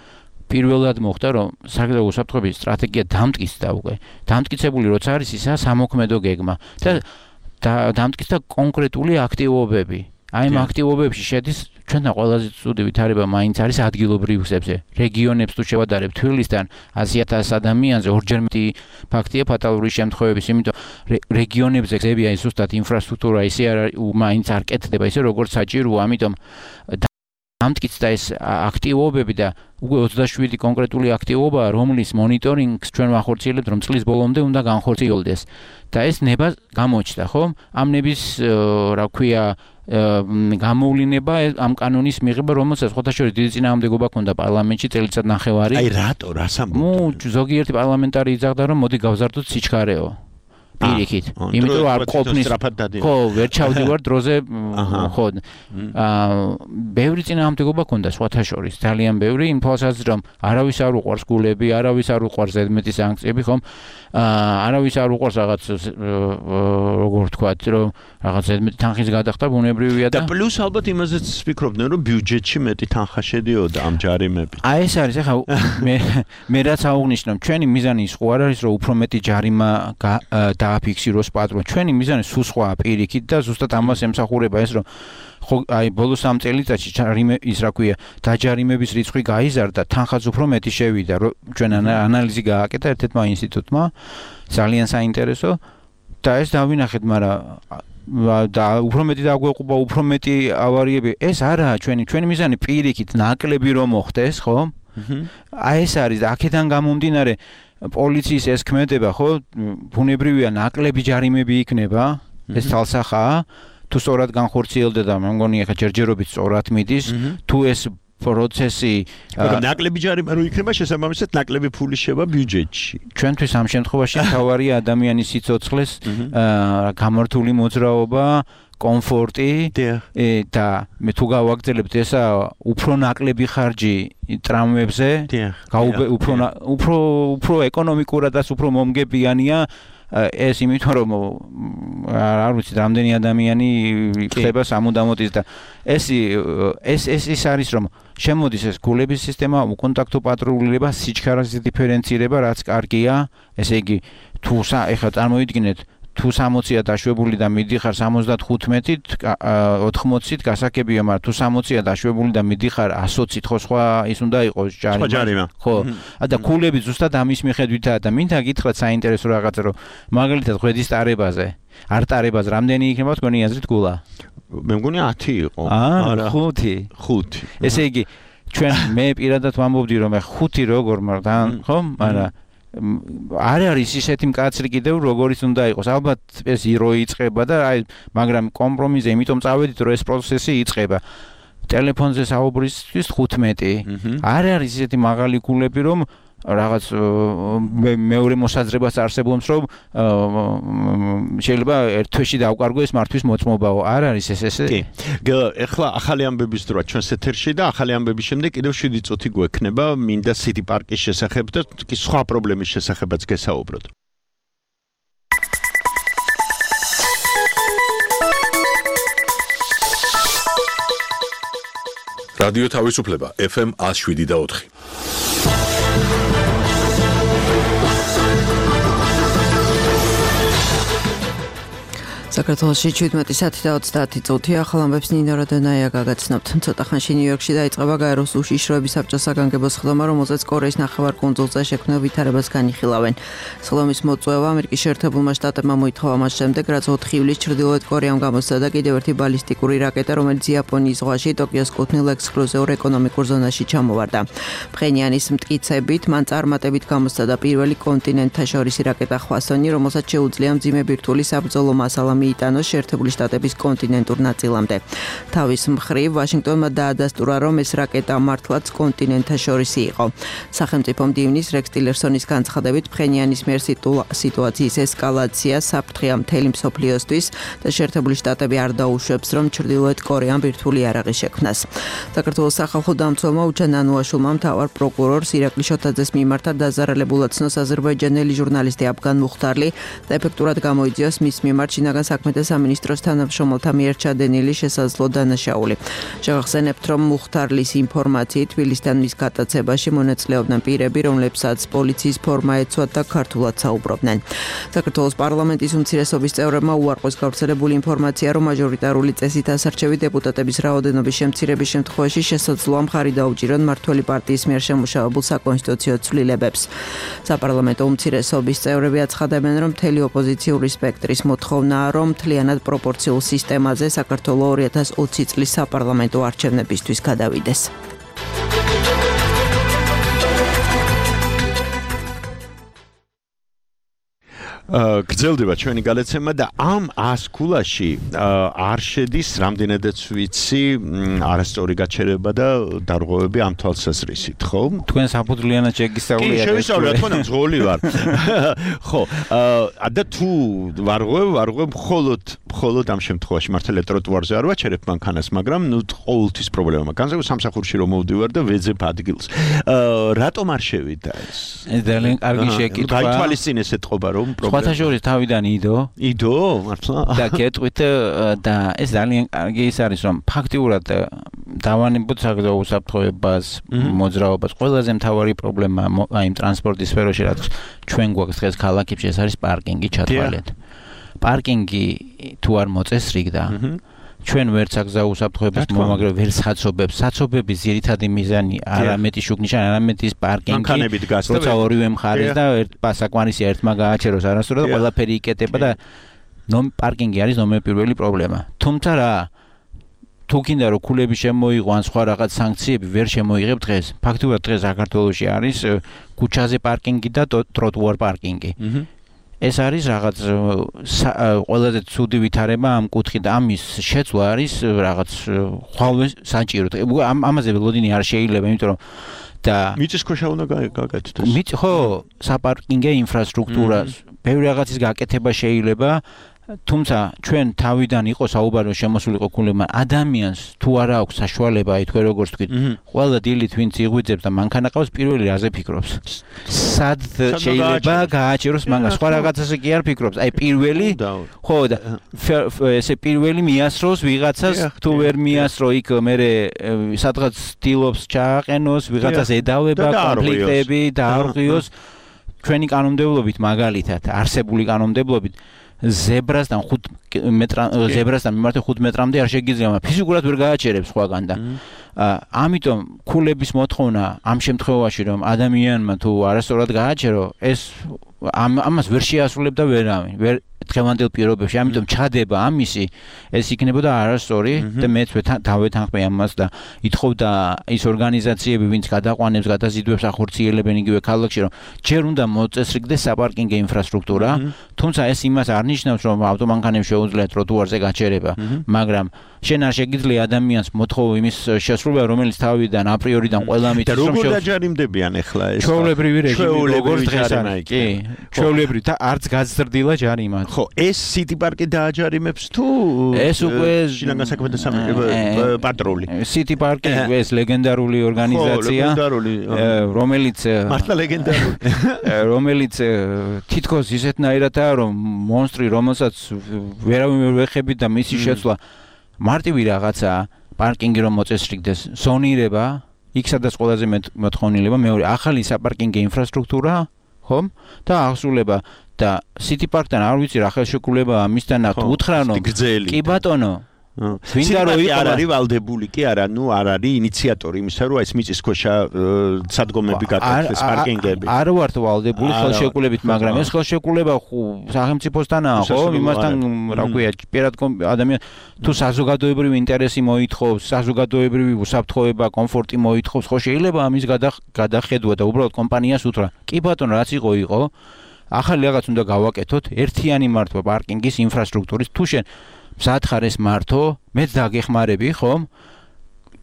პირველად მოხდა რომ საგზაო უსაფრთხოების სტრატეგია დამტკიცდა უკვე დამტკიცებული როცა არის ისა სამოქმედო გეგმა და დამტკიცდა კონკრეტული აქტივობები აი ამ აქტივობებში შედის ჩვენთან ყველაზე ცუდი ვითარება მაინც არის ადგილობრივ გზებზე რეგიონებს თუ შევადარებთ თბილისთან 100,000 ადამიანზე ორჯერ მეტი ფაქტია ფატალური შემთხვევების იმიტომ რეგიონებზე გზები აი ზუსტად ინფრასტრუქტურა ისე მაინც არ კეთდება ისე როგორც საჭიროა ამიტომ დამტკიცდა ეს აქტივობები და უკვე 27 კონკრეტული აქტივობაა, რომლის მონიტორინგს ჩვენ ვახორციელებთ, რომ წლის ბოლომდე უნდა განხორციელდეს. და ეს ნება გამოჩნდა, ხო? ამ ნების, რა ქვია, გამოვლინება ამ კანონის მიღება, რომელსაც ხოთაშორის დიდი წინააღმდეგობა ჰქონდა პარლამენტში წელიწად ნახევარი. აი რატო, რას ამბობთ? ნუ ზოგიერთი პარლამენტარი იძახდა, რომ მოდი გავზარდოთ სიჩქარეო. პირიქით. იმიტომ რომ არ ყოფნის ხო, ვერ ჩავდივარ დროზე ხო. ბევრი წინააღმდეგობა ჰქონდა სხვათა შორის, ძალიან ბევრი, იმ თვალსაზრისით რომ არავის არ უყვარს გულები, არავის არ უყვარს ზედმეტი სანქციები, ხომ? არავის არ უყვარს რაღაც როგორ ვთქვათ, რომ რაღაც ზედმეტი თანხის გადახდა ბუნებრივია და პლუს ალბათ იმაზეც ვფიქრობდნენ, რომ ბიუჯეტში მეტი თანხა შედიოდა ამ ჯარიმებით. აი ეს არის, ახლა მე რაც აღვნიშნო, ჩვენი მიზანი ის ხო არ არის, რომ უფრო მეტი ჯარიმა დააფიქსიროს პატრონ. ჩვენი მიზანი სულ სხვაა პირიქით და ზუსტად ამას ემსახურება ეს რომ ხო აი ბოლოს 3 წელიწადში ის რა ქვია დაჯარიმების რიცხვი გაიზარდა, თანხაც უფრო მეტი შევიდა. ჩვენ ანალიზი გააკეთა ერთ-ერთმა ინსტიტუტმა, ძალიან საინტერესო და ეს დავინახეთ, მაგრამ და უფრო მეტი დაგვეყობა, უფრო მეტი ავარიები. ეს არაა ჩვენი მიზანი პირიქით ნაკლები რომ მოხდეს, ხო? აი ეს არის აქედან გამომდინარე პოლიციის ეს ქმედება, ხო? ბუნებრივია ნაკლები ჯარიმები იქნება, ეს თალსახაა. თუ სწორად განხორციელდა და მე მგონი ახლა ჯერჯერობით სწორად მიდის, თუ ეს პროცესი ნაკლები ჯარიმა რო იქნება, შესაბამისად ნაკლები ფული შევა ბიუჯეტში. ჩვენთვის ამ შემთხვევაში თავარია ადამიანის სიცოცხლეს გამართული მოძრაობა, კომფორტი და მე თუ გავაგრძელებთ ესა უფრო ნაკლები ხარჯი ტრამვებზე, უფრო ეკონომიკურადაც უფრო მომგებიანია ეს იმიტომ რომ არ ვიცი რამდენი ადამიანი ხდება სამუდამოდ და ეს არის რომ შემოდის ეს გულების სისტემა, უკონტაქტო პატრულირება, სიჩქარეს დიფერენცირება, რაც კარგია, ესე იგი თუ ეხლა წარმოვიდგინეთ თუ 60-ია დაშვებული და მიდიხარ 75-ით, 80-ით გასაგებია, მაგრამ თუ 60-ია დაშვებული და მიდიხარ 120-ით, ხო სხვა ის უნდა იყოს ჯარიმა. ხო. და ქულები ზუსტად ამის მიხედვითაა და მინდა გითხრათ საინტერესო რაღაცა, რომ მაგალითად ღვედის ტარებაზე, არ ტარებაზე რამდენი იქნება თქვენი აზრით გულა? მე მგონი 10 იყო. არა, 5. ესე იგი, ჩვენ მე პირადად ვამბობდი, რომ 5 როგორ, მაგრამ ხო, მაგრამ არ არის ისეთი მკაცრი კიდევ როგორიც უნდა იყოს. ალბათ ეს ირო იწყება და აი მაგრამ კომპრომისზე იმიტომ წავედით რომ ეს პროცესი იწყება. ტელეფონზე საუბრისთვის 15. არ არის ისეთი მაღალი გულები რომ რაღაც მეორე მოსაზრებას არსებობს, რომ შეიძლება ერთ თვეში დავკარგოს მართვის მოწმობაო. არ არის ეს. კი. ეხლა ახალი ამბების დროა ჩვენს ეთერში და ახალი ამბების შემდეგ კიდევ 7 წუთი გვექნება მინდა City Park-ის შესახებ და კი სხვა პრობლემის შესახებაც გესაუბროთ. რადიო თავისუფლება FM 107.4. საქართველოში 17 საათი და 30 წუთი ახალ ამბებს ნინო როდენაია გაგაცნობთ. ცოტა ხანში ნიუ-იორკში დაიწყება გაეროს უშიშროების საბჭოს საგანგებო სხდომა, რომელზეც კორეის ნახევარკუნძულზე შექმნილ ვითარებას განიხილავენ. სხდომის მოწვევა ამერიკის შეერთებულმა შტატებმა მოითხოვა მას შემდეგ, რაც 4 ივლისს ჩრდილოეთ კორეამ გამოსცა და კიდევ ერთი ბალისტიკური რაკეტა, რომელიც იაპონიის ზღვაში ტოკიოს კუთვნილ ექსკლუზიურ ეკონომიკურ ზონაში ჩამოვარდა. ფხენიანის მტკიცებით, მან წარმატებით გამოსცა და პირველი კონტინენტთაშორისი რაკეტა ხვასონი, რომელსაც შეუძლია მძიმე ბირთვული საბრძოლო მასალა მიიტანოს შეერთებული შტატების კონტინენტურ ნაწილამდე. თავის მხრივ, ვაშინგტონმა დაადასტურა, რომ ეს რაკეტა მართლაც კონტინენტთაშორისი იყო. სახელმწიფო მდივნის რექს ტილერსონის განცხადებით, ფხენიანის მიერ სიტუაციის ესკალაცია საფრთხეა მთელი მსოფლიოსთვის და შეერთებული შტატები არ დაუშვებს, რომ ჩრდილოეთ კორეამ ბირთვული იარაღი შექმნას. საქართველოს სახალხო დამცველმა უჩან ანუაშულმა მთავარ პროკურორს ირაკლი შოთაძეს მიმართა დაზარალებულად ცნოს აზერბაიჯანელი ჟურნალისტი აფგან მუხტარლი და ეფექტურად გამოიძიოს მის მიმართ შინაგან საქმეთა სამინისტროს თანამშრომელთა მიერ ჩადენილი შესაძლო დანაშაული. შევახსენებთ, რომ მუხტარლის ინფორმაციით თბილისთან მის გატაცებაში მონაწილეობდნენ პირები, რომლებსაც პოლიციის ფორმა ეცვათ და ქართულად საუბრობდნენ. საქართველოს პარლამენტის უმცირესობის წევრებმა უარყოს გავრცელებული ინფორმაცია, რომ მაჟორიტარული წესით ასარჩევი დეპუტატების რაოდენობის შემცირების შემთხვევაში შესაძლოა მხარი დაუჭირონ მმართველი პარტიის მიერ შემუშავებულ საკონსტიტუციო ცვლილებებს. საპარლამენტო უმცირესობის წევრები აცხადებენ, რომ მთელი ოპოზიციური სპექტრის მოთხოვნაა, რომ მთლიანად პროპორციულ სისტემაზე საქართველოს 2020 წლის საპარლამენტო არჩევნებისთვის გადავიდეს. გრძელდება ჩვენი გალეცემა და ამ 100 ქულაში არ შედის რამდენადაც ვიცი არასწორი გაჩერება და დარღვევები ამ თვალსაზრისით, ხო? თქვენ საფუძვლიანად შეგისწავლეთ. კი, შევისწავლე, რა თქმა უნდა, ძღოლი ვარ. ხო, და თუ ვარღვევ მხოლოდ ამ შემთხვევაში მართალია ტროტუარზე არ ვაჩერებ მანქანას, მაგრამ ნუ ყოველთვის პრობლემა მაქვს. განსაკუთრებით სამსახურში რომ მოვდივარ და ვეძებ ადგილს. რატომ არ შევიდა ეს? ეს ძალიან კარგი შეკითხვა. გაითვალისწინეს ეთყობა რომ პრობლემა სხვათაშორის თავიდან იდო მართლა და გეტყვით და ეს ძალიან კარგი ის არის რომ ფაქტიურად დავანებოთ საგზაო უსაფრთხოებას მოძრაობას ყველაზე მთავარი პრობლემა აი იმ ტრანსპორტის სფეროში რაც ჩვენ გვაქვს დღეს ქალაქებში ეს არის პარკინგი ჩათვალეთ პარკინგი თუ არ მოწესრიგდა ჩვენ ვერც საგზაო უსაფრთხოებას მომაგრებ ვერ საცობებს საცობების ძირითადი მიზანი არამეტი შუქნიშანი არამეტი პარკინგი როცა ორივე მხარეს და ერთ პასაკმარისი ერთმა გააჩეროს არასწორად და ყველაფერი იკეტება და პარკინგი არის ნომერ პირველი პრობლემა თუმცა რა თუ გინდა რომ ქულები შემოიღო ან სხვა რაღაც სანქციები ვერ შემოიღებ დღეს ფაქტობრივად დღეს საქართველოში არის ქუჩაზე პარკინგი და ტროტუარ პარკინგი ეს არის რაღაც ყველაზე ცუდი ვითარება ამ კუთხით ამის შეცვლა არის რაღაც ხვალვე საჭირო ამაზე ველოდინი არ შეიძლება იმიტომ რომ და მიწისქვეშა უნდა გაკეთდეს ხო საპარკინგო ინფრასტრუქტურა ბევრი რაღაცის გაკეთება შეიძლება თუმცა ჩვენ თავიდან იყო საუბარი შემოსულიყო ქულებმა ადამიანს თუ არა აქვს საშუალება აი თქვენ როგორც თქვით ყველა დილით ვინც იღვიძებს და მანქანა ყავს პირველი რაზე ფიქრობს სად შეიძლება გააჩეროს მანქანა სხვა რაღაცაზე კი არ ფიქრობს აი პირველი ხო და ესე პირველი მიასროს ვიღაცას თუ ვერ მიასრო იქ მე სადღაც ცდილობს ჩააყენოს ვიღაცას ედავება კონფლიქტები დაარღვიოს ჩვენი კანონმდებლობით მაგალითად არსებული კანონმდებლობით ზებრასთან 5 მიმართ 5 მეტრამდე არ შეგიძლია ფიზიკურად ვერ გააჩერებს სხვაგან და ამიტომ ქულების მოთხოვნა ამ შემთხვევაში რომ ადამიანმა თუ არასწორად გააჩერო ეს ამას ვერ შეასრულებდა ვერავინ ვერ დღევანდელ პირობებში ამიტომ ჩადება ამისი ეს იქნებოდა არასწორი და მეც დავეთანხმე ამას და ითხოვდა ის ორგანიზაციები ვინც გადაყვანებს გადაზიდვებს ახორციელებენ იგივე ქალაქში რომ ჯერ უნდა მოწესრიგდეს საპარკინგო ინფრასტრუქტურა თუმცა ეს იმას არ ნიშნავს, რომ ავტომანქანებს შეუძლია ტროტუარზე გაჩერება, მაგრამ შენ არ შეგიძლია ადამიანს მოთხოვო იმის შესრულება, რომელიც თავიდან აპრიორიდან ყველა მითის რომ როგორ დაჯარიმდებიან ახლა ეს? ჩვეულებრივი რეჟიმი როგორც დღეს არის. კი, ჩვეულებრივი და არც გაზრდილა ჯარიმა. ხო, ეს City Park-ი დააჯარიმებს თუ ეს უკვე შინაგან საქმეთა პატრული. City Park-ი ეს ლეგენდარული ორგანიზაცია, რომელიც მართლა ლეგენდარული, რომელიც თითქოს ისეთნაირადაა, რომ მონსტრი, რომელსაც ვერავინ ვერ ვეხები და მისი შეცვლა მარტივი რაღაცაა, პარკინგი რომ მოწესრიგდეს, ზონირება, იქ სადაც ყველაზე მოთხოვნილება, მეორე ახალი საპარკინგო ინფრასტრუქტურა, ხომ? და აღსრულება და City Park-თან არ ვიცი რა ხელშეკრულებაა მისთან ნახეთ უთხრანო. კი ბატონო. ვინდა რო არ არის ვალდებული კი არა, ნუ არ არის ინიციატორი იმისა, რომ ეს მიწისქვეშა სადგომები გაკეთდეს, პარკინგები. არ ვართ ვალდებული ხელშეკრულებით, მაგრამ ეს ხელშეკრულება სახელმწიფოსთანაა, ხო? იმასთან რა ქვია, პირად ადამიან თუ საზოგადოებრივი ინტერესი მოითხოვს, საზოგადოებრივი უსაფრთხოება, კომფორტი მოითხოვს, ხო შეიძლება ამის გადახედვა და უბრალოდ კომპანიას უთხრა. კი ბატონო, რაც იყო. ახალი რაღაც უნდა გავაკეთოთ, ერთიანი მართვა პარკინგის ინფრასტრუქტურის თუ შენ მზად ხარ ეს მართო, მეც დაგეხმარები, ხომ?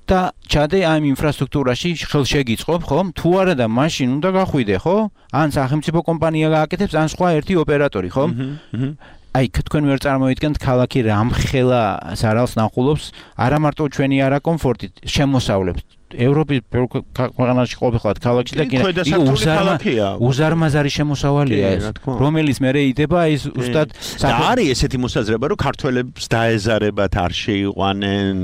და ჩადე ამ ინფრასტრუქტურაში ხელშეგიწყობ, ხომ? თუ არა და მაშინ უნდა გახვიდე, ხო? ან სახელმწიფო კომპანია გააკეთებს, ან სხვა ერთი ოპერატორი, ხომ? აი, თქვენ ვერ წარმოიდგენთ ქალაქი რამხელა ზარალს ნახულობს, არა მარტო ჩვენი არა კომფორტით, შემოსავლებს. ევროპის ქვეყანაში ყოფილიყავთ ქალაქში და უზარმაზარი შემოსავალია ეს, რომელიც მე იდება ის უსტად არის ესეთი მოსაზრება, რომ ქართველებს დაეზარებათ არ შეიყვანენ,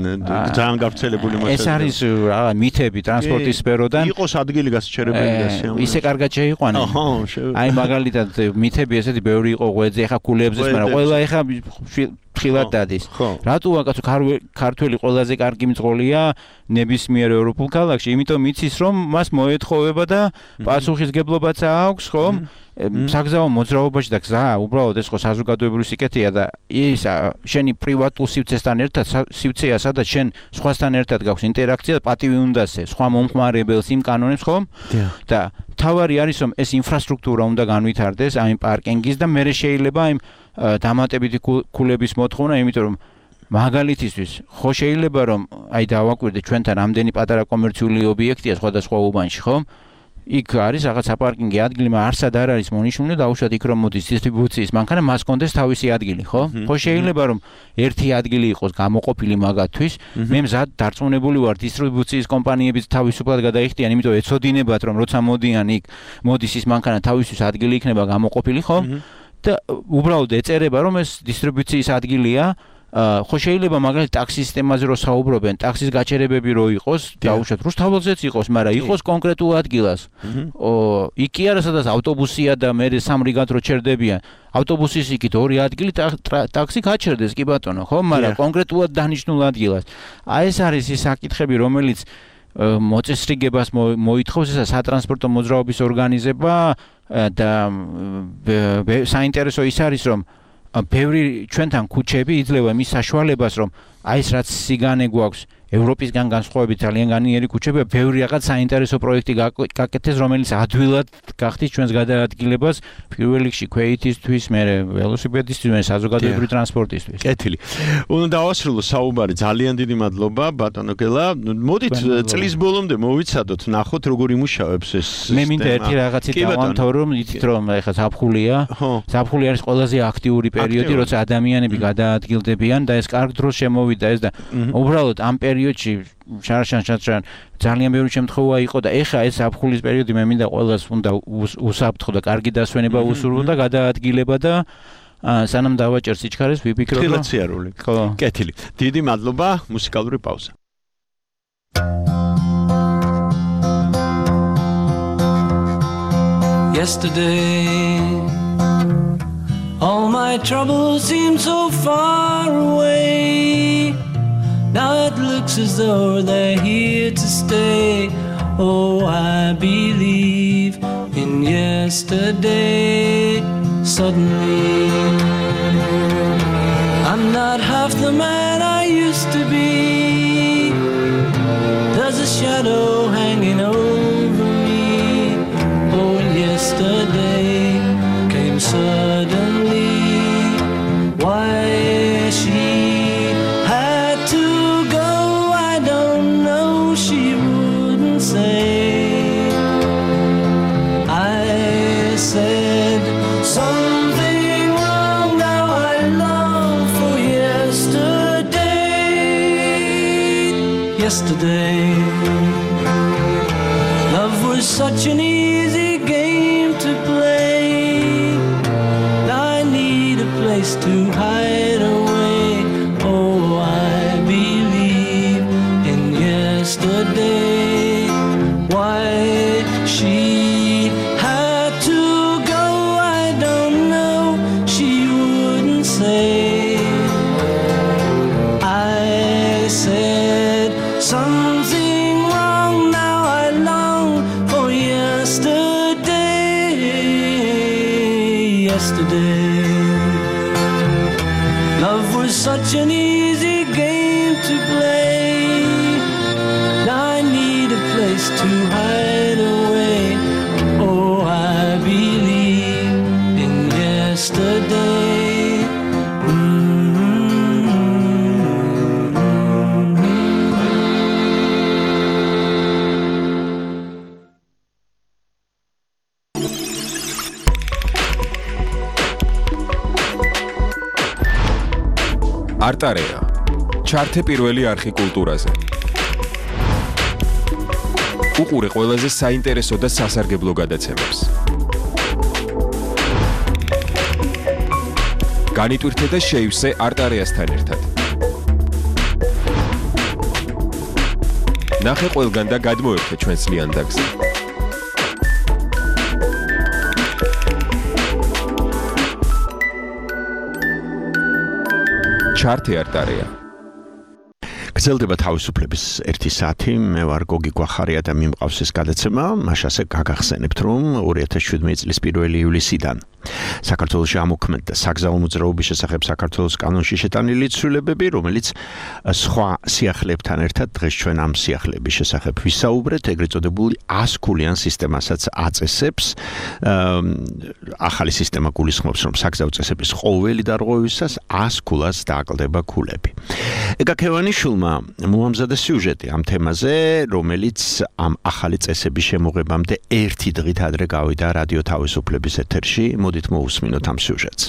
ძალიან გავრცელებული მოსაზრება. ეს არის რა მითები ტრანსპორტის სფეროდან. იყოს ადგილი გასაჩერებელია სიამოვნებაში. ისე კარგად შეიყვანენ. აი მაგალითად მითები ესეთი ბევრი იყო ღვეძე, ეხა კულებზე, მაგრამ ყველა ეხა ხილად დადის. რატო ვაკაცო ქართველი ყველაზე კარგი მძღოლია ნებისმიერ ევროპულ ქალაქში, იმიტომ იცის რომ მას მოეთხოვება და პასუხისგებლობაც აქვს, ხომ? საგზაო მოძრაობაში და გზა უბრალოდ ეს ხო საზოგადოებრივი სიკეთეა და ის შენი პრივატულ სივრცესთან ერთად სივრცეა, სადაც შენ სხვასთან ერთად გაქვს ინტერაქცია, პატივი უნდასე სხვა მომხმარებელს იმ კანონებს, ხომ? და თავარი არის რომ ეს ინფრასტრუქტურა უნდა განვითარდეს აი პარკინგის და მე შეიძლება აი დამატებითი ქულების მოთხოვნა, იმიტომ რომ მაგალითისთვის ხო შეიძლება რომ აი დავაკვირდე ჩვენთან ამდენი პატარა კომერციული ობიექტია სხვადასხვა უბანში, ხო? იქ არის რაღაც საპარკინგო ადგილი, მაგრამ არსად არ არის მონიშნული და უშუალოდ იქ რომ მოდის დისტრიბუციის მანქანა, მას კონდეს თავისი ადგილი, ხო? ხო შეიძლება რომ ერთი ადგილი იყოს გამოყოფილი მაგათთვის, მე მზად დარწმუნებული ვარ დისტრიბუციის კომპანიებიც თავისუფლად გადაიხდიან, იმიტომ ეცოდინებათ რომ როცა მოდიან იქ მოდის ის მანქანა თავისთვის ადგილი იქნება გამოყოფილი, ხო? და უბრალოდ ეწერება რომ ეს დისტრიბუციის ადგილია, ხო შეიძლება მაგალითად ტაქსის სისტემაზე რო საუბრობენ, ტაქსის გაჩერებები რო იყოს, დაუშვათ რუსთაველზეც იყოს, მაგრამ იყოს კონკრეტულ ადგილას. იქ კი არა სადაც ავტობუსია და მე სამ რიგად რო ჩერდებიან. ავტობუსის იქით ორი ადგილი ტაქსი გაჩერდეს, კი ბატონო, ხო? მაგრამ კონკრეტულად დანიშნულ ადგილას. აი ეს არის ის საკითხები, რომელიც მოწესრიგებას მოითხოვს, ესა სატრანსპორტო მოძრაობის ორგანიზება და საინტერესო ის არის რომ ბევრი ჩვენთან ქუჩები იძლევა მის საშუალებას რომ აი ეს რაც სიგანე გვაქვს ევროპისგან განსხვავებით ძალიან განიერი ქუჩებია, ბევრი რაღაც საინტერესო პროექტი გაკეთდეს, რომელიც ადვილად გახდის ჩვენს გადაადგილებას პირველ რიგში ქვეითისთვის, მერე ველოსიპედისტვის, მერე საზოგადოებრივი ტრანსპორტისთვის. კეთილი. უნდა დავასრულო საუბარი. ძალიან დიდი მადლობა ბატონო გელა. მოდით წლის ბოლომდე მოვიცადოთ, ნახოთ როგორ იმუშავებს ეს სისტემა. მე მინდა ერთი რაღაცით დავამთავრო, რომ იცით რომ ეხლა ზაფხულია. ზაფხული არის ყველაზე აქტიური პერიოდი, როცა ადამიანები გადაადგილდებიან და ეს კარგ დროს შემოვიდა ეს და უბრალოდ ამ პერიოდში შარშან ძალიან ბევრი შემთხვევა იყო და ეხა ეს ზაფხულის პერიოდი მე მინდა ყველას უნდა უსაფრთხო და კარგი დასვენება უსურვო და გადაადგილება და სანამ დავაჭერ სიჩქარეს ვიფიქრო რომ ხილაციარული. კეთილი. დიდი მადლობა, მუსიკალური პაუზა. Yesterday all my troubles seem so far away. Now it looks as though they're here to stay. Oh, I believe in yesterday. Suddenly I'm not half the man I used to be. There's a shadow hanging over me. Oh, yesterday came suddenly. yesterday. Love was such an easy game to play. I need a place to hide away. Oh, I believe in yesterday. Why she had to go, I don't know. She wouldn't say. I said something wrong. Now I long for yesterday. Yesterday, love was such an easy game to play. Now I need a place to hide away. Oh, I believe in yesterday. არტარეა. ჩართე პირველი არხი კულტურაზე. უყურე ყველაზე საინტერესო და სასარგებლო გადაცემებს. განიტვირთე და შეივსე არტარეასთან ერთად. ნახე ყველგან და გადმოერთე ჩვენს ლიანდაგზე. ჩართე არტარეა. გრძელდება თავისუფლების 1 საათი. მე ვარ გოგი გვახარია და მიმყავს ეს გადაცემა. მაშასე გაგახსენებთ, რომ 2017 წლის 1 ივლისიდან საქართველოში ამოქმედდა საგზაო მოძრაობის შესახებ საქართველოს კანონში შეტანილი ცვლილებები, რომელიც სხვა სიახლეებთან ერთად დღეს ჩვენ ამ სიახლეების შესახებ ვისაუბრეთ, ეგრეთ წოდებული 100 ქულიან სისტემასაც აწესებს. ახალი სისტემა გულისხმობს, რომ საგზაო წესების ყოველი დარღვევისას 100 ქულას დააკლდება ქულები. ეგა ქევანიშვილმა მოამზადა სიუჟეტი ამ თემაზე, რომელიც ამ ახალი წესების შემოღებამდე 1 დღით ადრე გავიდა რადიო თავისუფლების ეთერში. მოდით მოусმინოთ ამ სიუჟეტს.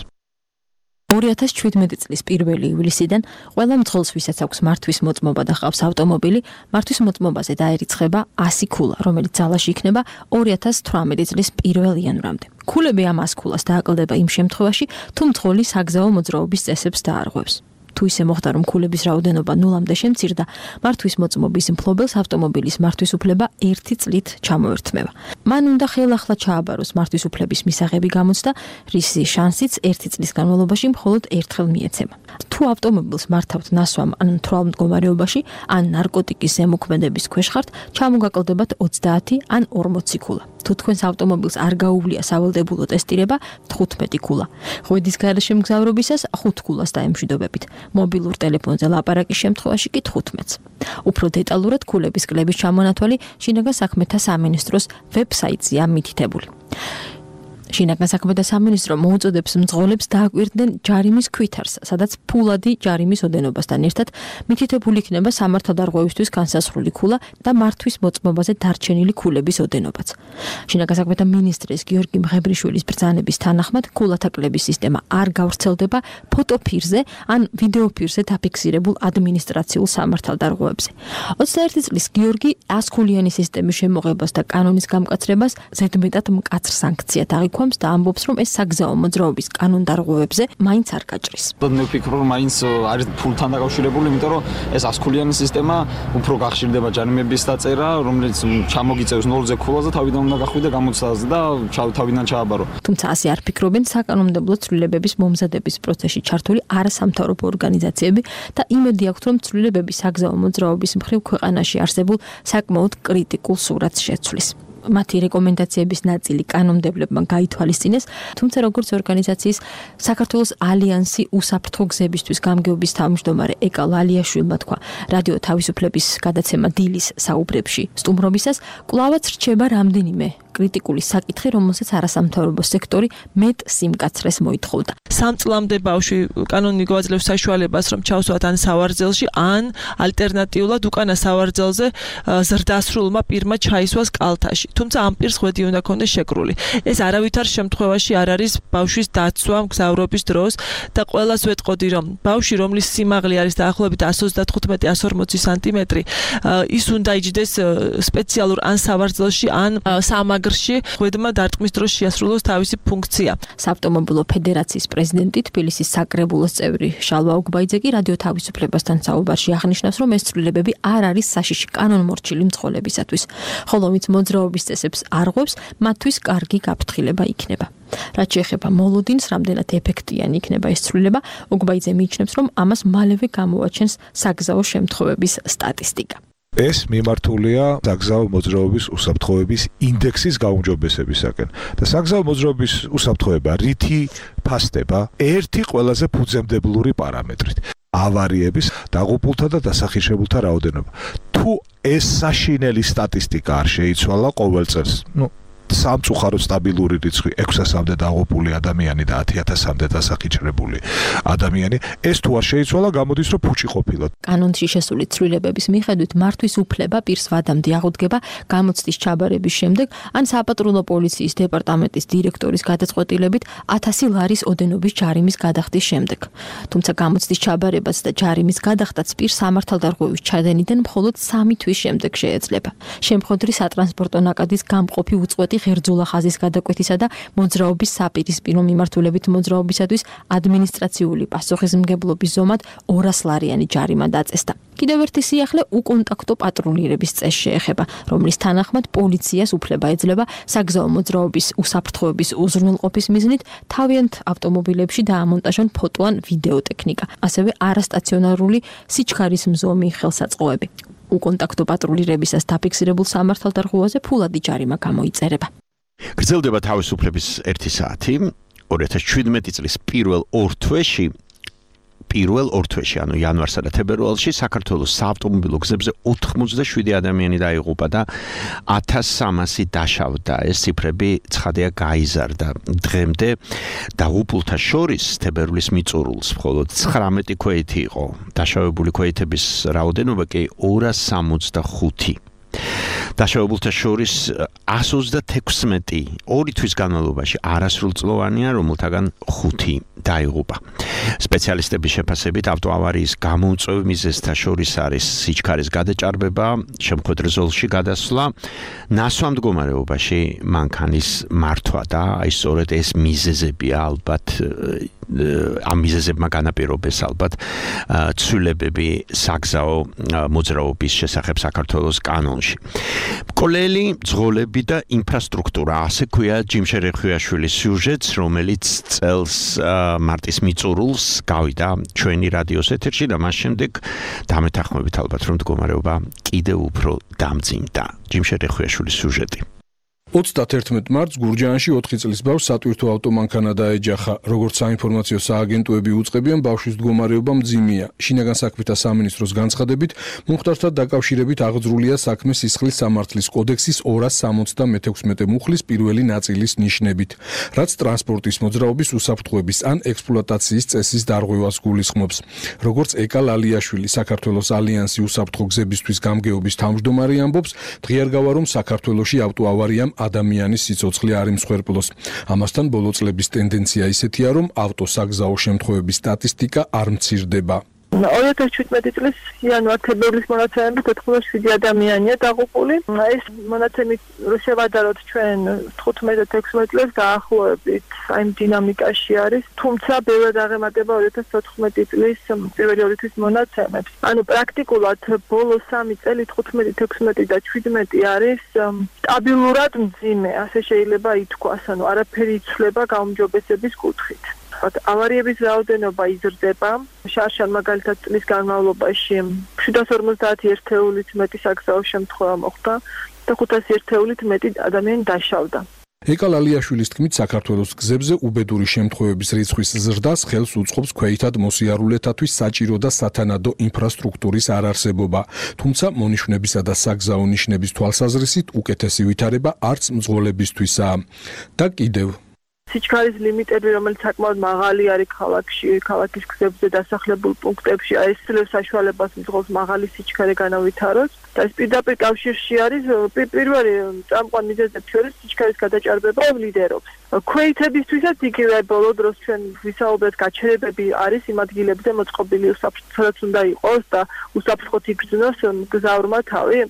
2017 წლის 1 ივლისიდან ყველა მძღოლს, ვისაც აქვს მართვის მოწმობა და ყავს ავტომობილი, მართვის მოწმობაზე დაერიცხება 100 ქულა, რომელიც ძალაში იქნება 2018 წლის 1 იანვრამდე. ქულები ამ 100 ქულას დააკლდება იმ შემთხვევაში, თუ მძღოლი საგზაო მოძრაობის წესებს დაარღვევს. თუ ისე მოხდა, რომ ქულების რაოდენობა ნულამდე შემცირდა, მართვის მოწმობის მფლობელს ავტომობილის მართვის უფლება 1 წლით ჩამოერთმევა. მან უნდა ხელახლა ჩააბაროს მართვის უფლების მისაღები გამოცდა, რის შანსიც 1 წლის განმავლობაში მხოლოდ ერთხელ მიეცემა. თუ ავტომობილს მართავთ ნასვამ ან მთვრალ მდგომარეობაში, ან ნარკოტიკის ზემოქმედების ქვეშ ხართ, ჩამოგაკლდებათ 30 ან 40 ქულა. თუ თქვენს ავტომობილს არ გაუვლია სავალდებულო ტესტირება, 15 ქულა. ღვედის გარეშე მგზავრობისას 5 ქულას დაემშვიდობებით. მობილურ ტელეფონზე ლაპარაკის შემთხვევაში კი 15-ს. უფრო დეტალურად ქულების კლების ჩამონათვალი შინაგან საქმეთა სამინისტროს ვებსაიტზეა მითითებული. შინაგან საქმეთა სამინისტრო მოუწოდებს მძღოლებს დააკვირდნენ ჯარიმის ქვითარს, სადაც ფულადი ჯარიმის ოდენობასთან ერთად მითითებული იქნება სამართალდარღვევისთვის განსაზღვრული ქულა და მართვის მოწმობაზე დარჩენილი ქულების ოდენობაც. შინაგან საქმეთა მინისტრის გიორგი მღებრიშვილის ბრძანების თანახმად ქულათა კლების სისტემა არ გავრცელდება ფოტოფირზე ან ვიდეოფირზე დაფიქსირებულ ადმინისტრაციულ სამართალდარღვევებზე. 21 წლის გიორგი 100 ქულიანი სისტემის შემოღებას და კანონის გამკაცრებას ზედმეტად მკაცრ სანქციად აღიქვამს და ამბობს, რომ ეს საგზაო მოძრაობის კანონდარღვევებზე მაინც არ გაჭრის. მე ვფიქრობ, რომ მაინც არის ფულთან დაკავშირებული, იმიტომ რომ ეს 100 ქულიანი სისტემა უფრო გახშირდება ჯარიმების დაწერა, რომელიც ჩამოგიწევს 0-ზე ქულას და თავიდან უნდა გახვიდე გამოცდაზე და თავიდან ჩააბარო. თუმცა ასე არ ფიქრობენ საკანონმდებლო ცვლილებების მომზადების პროცესში ჩართული არასამთავრობო ორგანიზაციები და იმედი აქვთ, რომ ცვლილებები საგზაო მოძრაობის მხრივ ქვეყანაში არსებულ საკმაოდ კრიტიკულ სურათს შეცვლის. მათი რეკომენდაციების ნაწილი კანონმდებლებმა გაითვალისწინეს, თუმცა როგორც ორგანიზაციის საქართველოს ალიანსი უსაფრთხო გზებისთვის გამგეობის თავმჯდომარე ეკა ლალიაშვილმა თქვა რადიო თავისუფლების გადაცემა დილის საუბრებში სტუმრობისას, კვლავაც რჩება რამდენიმე კრიტიკული საკითხი, რომელსაც არასამთავრობო სექტორი მეტ სიმკაცრეს მოითხოვდა. 3 წლამდე ბავშვი კანონი გვაძლევს საშუალებას, რომ ჩავსვათ ან სავარძელში, ან ალტერნატიულად უკანა სავარძელზე ზრდასრულმა პირმა ჩაისვას კალთაში. თუმცა ამ პირს ხვედი უნდა ქონდეს შეკრული. ეს არავითარ შემთხვევაში არ არის ბავშვის დაცვა მგზავრობის დროს და ყველას ვეტყოდი, რომ ბავშვი, რომლის სიმაღლე არის დაახლოებით 135-140 სანტიმეტრი, ის უნდა იჯდეს სპეციალურ ან სავარძელში, ან სამაგრში, ხვედმა დარტყმის დროს შეასრულოს თავისი ფუნქცია. საავტომობილო ფედერაციის პრეზიდენტი თბილისის საკრებულოს წევრი შალვა უგბაიძე კი რადიო თავისუფლებასთან საუბარში აღნიშნავს, რომ ეს ცვლილებები არ არის საშიში კანონმორჩილი მძღოლებისათვის, ხოლო ვინც მოძრაობის წესებს არღვევს, მათთვის კარგი გაფრთხილება იქნება. რაც შეეხება მოლოდინს, რამდენად ეფექტიანი იქნება ეს ცვლილება, უგბაიძე მიიჩნევს, რომ ამას მალევე გამოაჩენს საგზაო შემთხვევების სტატისტიკა. ეს მიმართულია საგზაო მოძრაობის უსაფრთხოების ინდექსის გაუმჯობესებისაკენ. და საგზაო მოძრაობის უსაფრთხოება რითი ფასდება? ერთი ყველაზე ფუძემდებლური პარამეტრით. ავარიების, დაღუპულთა და დასახირშებულთა რაოდენობა. თუ ეს საშინელი სტატისტიკა არ შეიცვალა ყოველ წელს, სამწუხაროდ სტაბილური რიცხვი 600-მდე დაღუპული ადამიანი და 10,000-მდე დასახირშებული ადამიანი, ეს თუ არ შეიცვალა, გამოდის, რომ ფუჭი ყოფილად. კანონში შესული ცვლილებების მიხედვით მართვის უფლება პირს ვადამდე აღუდგება გამოცდის ჩაბარების შემდეგ, ან საპატრულო პოლიციის დეპარტამენტის დირექტორის გადაწყვეტილებით 1000 ლარის ოდენობის ჯარიმის გადახდის შემდეგ. თუმცა გამოცდის ჩაბარებას და ჯარიმის გადახდაც პირს სამართალდარღვევის ჩადენიდან მხოლოდ 3 თვის შემდეგ შეეძლება. შემხოდრი სატრანსპორტო ნაკადის გამყოფი უწყვეტი ღერძულა ხაზის გადაკვეთისა და მოძრაობის საპირისპირო მიმართულებით მოძრაობისათვის ადმინისტრაციული პასუხისმგებლობის ზომად 200 ლარიანი ჯარიმა დაწესდა. კიდევ ერთი სიახლე უკონტაქტო პატრულირების წესს შეეხება, რომლის თანახმად პოლიციას უფლება ეძლევა საგზაო მოძრაობის უსაფრთხოების უზრუნველყოფის მიზნით თავიანთ ავტომობილებში დაამონტაჟონ ფოტო ან ვიდეო ტექნიკა, ასევე არასტაციონარული სიჩქარის მზომი ხელსაწყოები. უკონტაქტო პატრულირებისას დაფიქსირებულ სამართალდარღვევაზე ფულადი ჯარიმა გამოიწერება. გრძელდება თავისუფლების 1 საათი 2017 წლის პირველ 2 თვეში, ანუ იანვარსა და თებერვალში საქართველოს საავტომობილო გზებზე 87 ადამიანი დაიღუპა და 1300 დაშავდა. ეს ციფრები ცხადია გაიზარდა. დღემდე დაღუპულთა შორის თებერვლის მიწურულს მხოლოდ 19 ქვეითი იყო. დაშავებული ქვეითების რაოდენობა კი 265. დაშავებულთა შორის 136 2 თვის განმავლობაში არასრულწლოვანია, რომელთაგან 5 დაიღუპა. სპეციალისტების შეფასებით ავტოავარიის გამოუწვევ მიზეზთა შორის არის სიჩქარის გადაჭარბება, შემოქმედრ ზოლში გადასვლა, ნასვა მდგომარეობაში მანქანის მართვა და აი სწორედ ეს მიზეზებია ალბათ ამ მიზეზებმა განაპირობეს ალბათ ცვლილებები საგზაო მოძრაობის შესახებ საქართველოს კანონში. მკვლელი, ძღოლები და ინფრასტრუქტურა, ასე ქვია ჯიმშე რეხვიაშვილის სიუჟეტს, რომელიც წელს მარტის მიწურულს გავიდა ჩვენი რადიოს ეთერში და მას შემდეგ დამეთანხმებით ალბათ რომ მდგომარეობა კიდევ უფრო დამძიმდა. ჯიმშე რეხვიაშვილის სიუჟეტი. 31 მარტს გურჯაანში 4 წლის ბავშვს სატვირთო ავტომანქანა დაეჯახა. როგორც საინფორმაციო სააგენტოები უწყებიან, ბავშვის მდგომარეობა მძიმეა. შინაგან საქმეთა სამინისტროს განცხადებით, მომხდართან დაკავშირებით აღძრულია საქმე სისხლის სამართლის კოდექსის 276 მუხლის პირველი ნაწილის ნიშნებით, რაც ტრანსპორტის მოძრაობის უსაფრთხოების ან ექსპლუატაციის წესის დარღვევას გულისხმობს. როგორც ეკა ლალიაშვილი, საქართველოს ალიანსი უსაფრთხო გზებისთვის გამგეობის თავმჯდომარე ამბობს, დღიარგავა რომ საქართველოში ავტოავარიამ ადამიანის სიცოცხლე არ იმსხვერპლოს. ამასთან ბოლო წლების ტენდენცია ისეთია, რომ ავტოსაგზაო შემთხვევების სტატისტიკა არ მცირდება. 2017 წლის იანვარ-თებერვლის მონაცემებით 87 ადამიანია დაღუპული. ეს მონაცემი რო შევადაროთ ჩვენ 15-16 წელს დაახლოებით აი დინამიკაში არის, თუმცა ბევრად აღემატება 2014 წლის პირველი 2 თვის მონაცემებს. ანუ პრაქტიკულად ბოლო 3 წელი 15, 16 და 17 არის სტაბილურად მძიმე, ასე შეიძლება ითქვას, ანუ არაფერი იცვლება გაუმჯობესების კუთხით. ავარიების რაოდენობა იზრდება. შარშან მაგალითად წლის განმავლობაში 750 ერთეულით მეტი საგზაო შემთხვევა მოხდა და 500 ერთეულით მეტი ადამიანი დაშავდა. ეკა ლალიაშვილის თქმით, საქართველოს გზებზე უბედური შემთხვევების რიცხვის ზრდას ხელს უწყობს ქვეითად მოსიარულეთათვის საჭირო და სათანადო ინფრასტრუქტურის არარსებობა. თუმცა მონიშნებისა და საგზაო ნიშნების თვალსაზრისით უკეთესი ვითარება არც მძღოლებისთვისაა. და კიდევ სიჩქარის ლიმიტები, რომელიც საკმაოდ მაღალი არის ქალაქის გზებზე დასახლებულ პუნქტებში, ეს საშუალებას მძღოლს მაღალი სიჩქარე განავითაროს. და ეს პირდაპირ კავშირში არის პირველი წამყვან მიზეზებში შორის სიჩქარის გადაჭარბება ლიდერობს. ქვეითებისთვისაც იგივე ბოლო დროს ჩვენ ვისაუბრეთ, გაჩერებები არის იმ ადგილებზე მოწყობილი სადაც უნდა იყოს და უსაფრთხოდ იგრძნოს მგზავრმა თავი.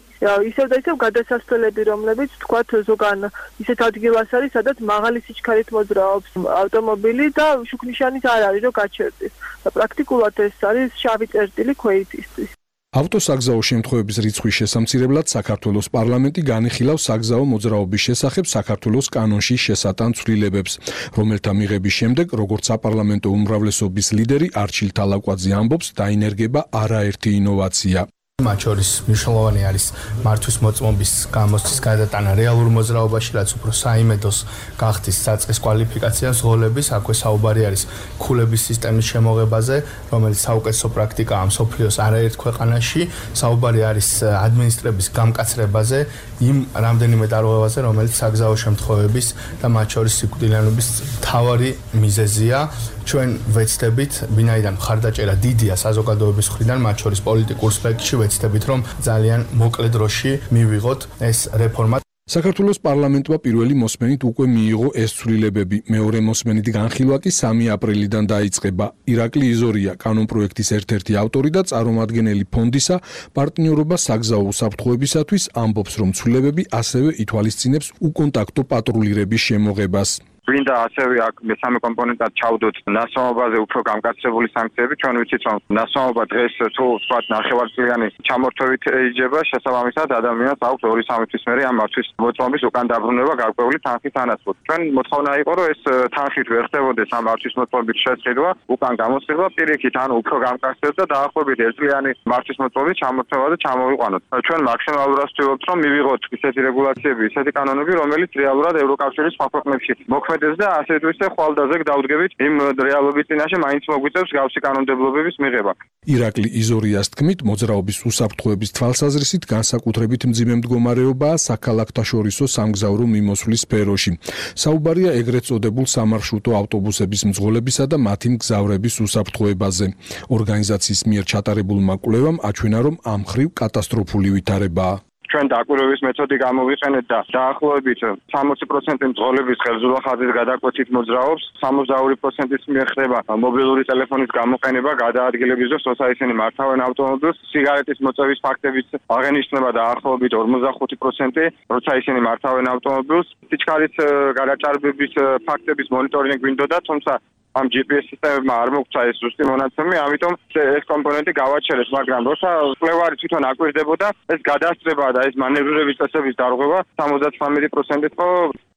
ისევ და ისევ გადასასვლელები, რომლებიც თქვათ ზოგან ისეთ ადგილას არის, სადაც მაღალი სიჩქარით მოძრაობს ავტომობილი და შუქნიშანის არ არის, რომ გაჩერდეს. და პრაქტიკულად ეს არის შავი წერტილი ქვეითისთვის. ავტოსაგზაო შემთხვევების რიცხვის შესამცირებლად საქართველოს პარლამენტი განიხილავს საგზაო მოძრაობის შესახებ საქართველოს კანონში შესატან ცვლილებებს, რომელთა მიღების შემდეგ, როგორც საპარლამენტო უმრავლესობის ლიდერი არჩილ თალაკვაძე ამბობს, დაინერგება არაერთი ინოვაცია. მათ შორის მნიშვნელოვანი არის მართვის მოწმობის გამოცდის გადატანა რეალურ მოძრაობაში, რაც უფრო საიმედოს გახდის საწყის კვალიფიკაცია ზღოლების, აქვე საუბარი არის ქულების სისტემის შემოღებაზე, რომელიც საუკეთესო პრაქტიკაა მსოფლიოს არაერთ ქვეყანაში, საუბარი არის ადმინისტრების გამკაცრებაზე, იმ რამდენიმე დარღვევაზე, რომელიც საგზაო შემთხვევების და მათ შორის სიკვდილიანობის მთავარი მიზეზია. ჩვენ ვეცდებით, ვინაიდან მხარდაჭერა დიდია საზოგადოების მხრიდან, მათ შორის პოლიტიკურ სპექტრში ვეცდებით, რომ ძალიან მოკლე დროში მივიღოთ ეს რეფორმა. საქართველოს პარლამენტმა პირველი მოსმენით უკვე მიიღო ეს ცვლილებები. მეორე მოსმენით განხილვა კი 3 აპრილიდან დაიწყება. ირაკლი იზორია, კანონპროექტის ერთ-ერთი ავტორი და წარმომადგენელი ფონდისა პარტნიორობა საგზაო უსაფრთხოებისათვის, ამბობს, რომ ცვლილებები ასევე ითვალისწინებს უკონტაქტო პატრულირების შემოღებას. გვინდა ასევე აქ მესამე კომპონენტად ჩავდოთ ნასვამობაზე უფრო გამკაცრებული სანქციები. ჩვენ ვიცით, რომ ნასვამობა დღეს თუ ვთქვათ ნახევარწლიანი ჩამორთვევით ეიჯება, შესაბამისად ადამიანს აქვს 2-3 თვის მერე ამ მართვის მოწმობის უკან დაბრუნება გარკვეული თანხის თანახმად. ჩვენ მოთხოვნა იყო, რომ ეს თანხით ვერ ხდებოდეს ამ მართვის მოწმობის შესყიდვა, უკან გამოსყიდვა პირიქით, ანუ უფრო გამკაცრდეს და დაახლოებით 1 წლიანი მართვის მოწმობის ჩამორთვევაზე ჩამოვიყვანოთ. ჩვენ მაქსიმალურად ვცდილობთ, რომ მივიღოთ ისეთი რეგულაციები, ისეთი კანონები, რომელიც რეალურად ევროკავშირის სხვა ქვეყნებში და ასე თუ ისე ხვალდაზე დავდგებით იმ რეალობის წინაშე მაინც მოგვიწევს გავსი კანონმდებლობების მიღება. ირაკლი იზორიას თქმით, მოძრაობის უსაფრთხოების თვალსაზრისით განსაკუთრებით მძიმე მდგომარეობაა საქალაქთაშორისო სამგზავრო მიმოსვლის სფეროში. საუბარია ეგრეთ წოდებულ სამარშრუტო ავტობუსების მძღოლებისა და მათი მგზავრების უსაფრთხოებაზე. ორგანიზაციის მიერ ჩატარებულმა კვლევამ აჩვენა, რომ ამ მხრივ კატასტროფული ვითარებაა. ჩვენ დაკვირვების მეთოდი გამოვიყენეთ და დაახლოებით 60% მძღოლების ხელზურა ხაზის გადაკვეთით მოძრაობს, 62%-ის მიერ ხდება მობილური ტელეფონის გამოყენება გადაადგილების დროს, როცა ისინი მართავენ ავტომობილს, სიგარეტის მოწევის ფაქტებიც აღენიშნება დაახლოებით 45%, როცა ისინი მართავენ ავტომობილს. სიჩქარის გადაჭარბების ფაქტების მონიტორინგი გვინდოდა, თუმცა ამ GPS სისტემებმა არ მოგცა ეს ზუსტი მონაცემი, ამიტომ ეს კომპონენტი გავაჩერეთ, მაგრამ როცა კვლევარი თვითონ აკვირდებოდა, ეს გადასწრება და ეს მანევრირების წესების დარღვევა 79%-ით იყო.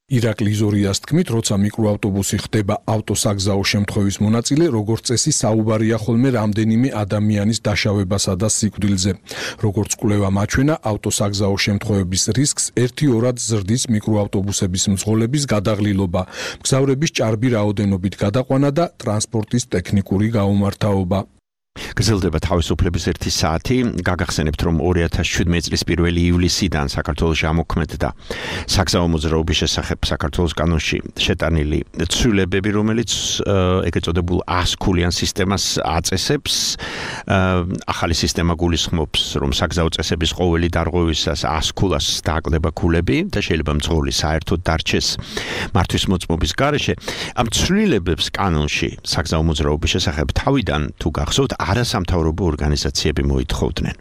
ირაკლი იზორიას თქმით, როცა მიკროავტობუსი ხდება ავტოსაგზაო შემთხვევის მონაწილე, როგორც წესი საუბარია ხოლმე რამდენიმე ადამიანის დაშავებასა და სიკვდილზე. როგორც კვლევამ აჩვენა, ავტოსაგზაო შემთხვევების რისკს 1-2-რად ზრდის მიკროავტობუსების მძღოლების გადაღლილობა, მგზავრების ჭარბი რაოდენობით გადაყვანა და ტრანსპორტის ტექნიკური გაუმართავობა. გრძელდება თავისუფლების 1 საათი. გაგახსენებთ, რომ 2017 წლის 1 ივლისიდან საქართველოში ამოქმედდა საგზაო მოძრაობის შესახებ საქართველოს კანონში შეტანილი ცვლილებები, რომელიც ეგრეთ წოდებულ 100 ქულიან სისტემას აწესებს. ახალი სისტემა გულისხმობს, რომ საგზაო წესების ყოველი დარღვევისას 100 ქულას დააკლდება ქულები და შეიძლება მძღოლი საერთოდ დარჩეს მართვის მოწმობის გარეშე. ამ ცვლილებებს კანონში საგზაო მოძრაობის შესახებ თავიდან თუ გახსოვთ არასამთავრობო ორგანიზაციები მოითხოვდნენ.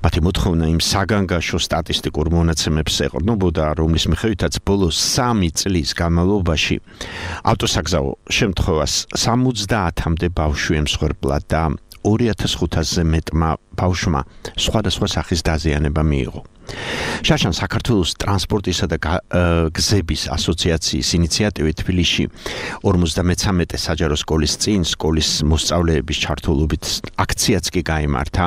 მათი მოთხოვნა იმ საგანგაშო სტატისტიკურ მონაცემებს ეყრდნობოდა, რომლის მიხედვითაც ბოლო 3 წლის განმავლობაში ავტოსაგზაო შემთხვევას 70-მდე ბავშვი ემსხვერპლა და 2500-ზე მეტმა ბავშვმა სხვადასხვა სახის დაზიანება მიიღო. შაშან საქართველოს ტრანსპორტისა და გზების ასოციაციის ინიციატივით თბილისში 53 საჯარო სკოლის წინ სკოლის მოსწავლეების ჩართულობით აქციაც კი გაიმართა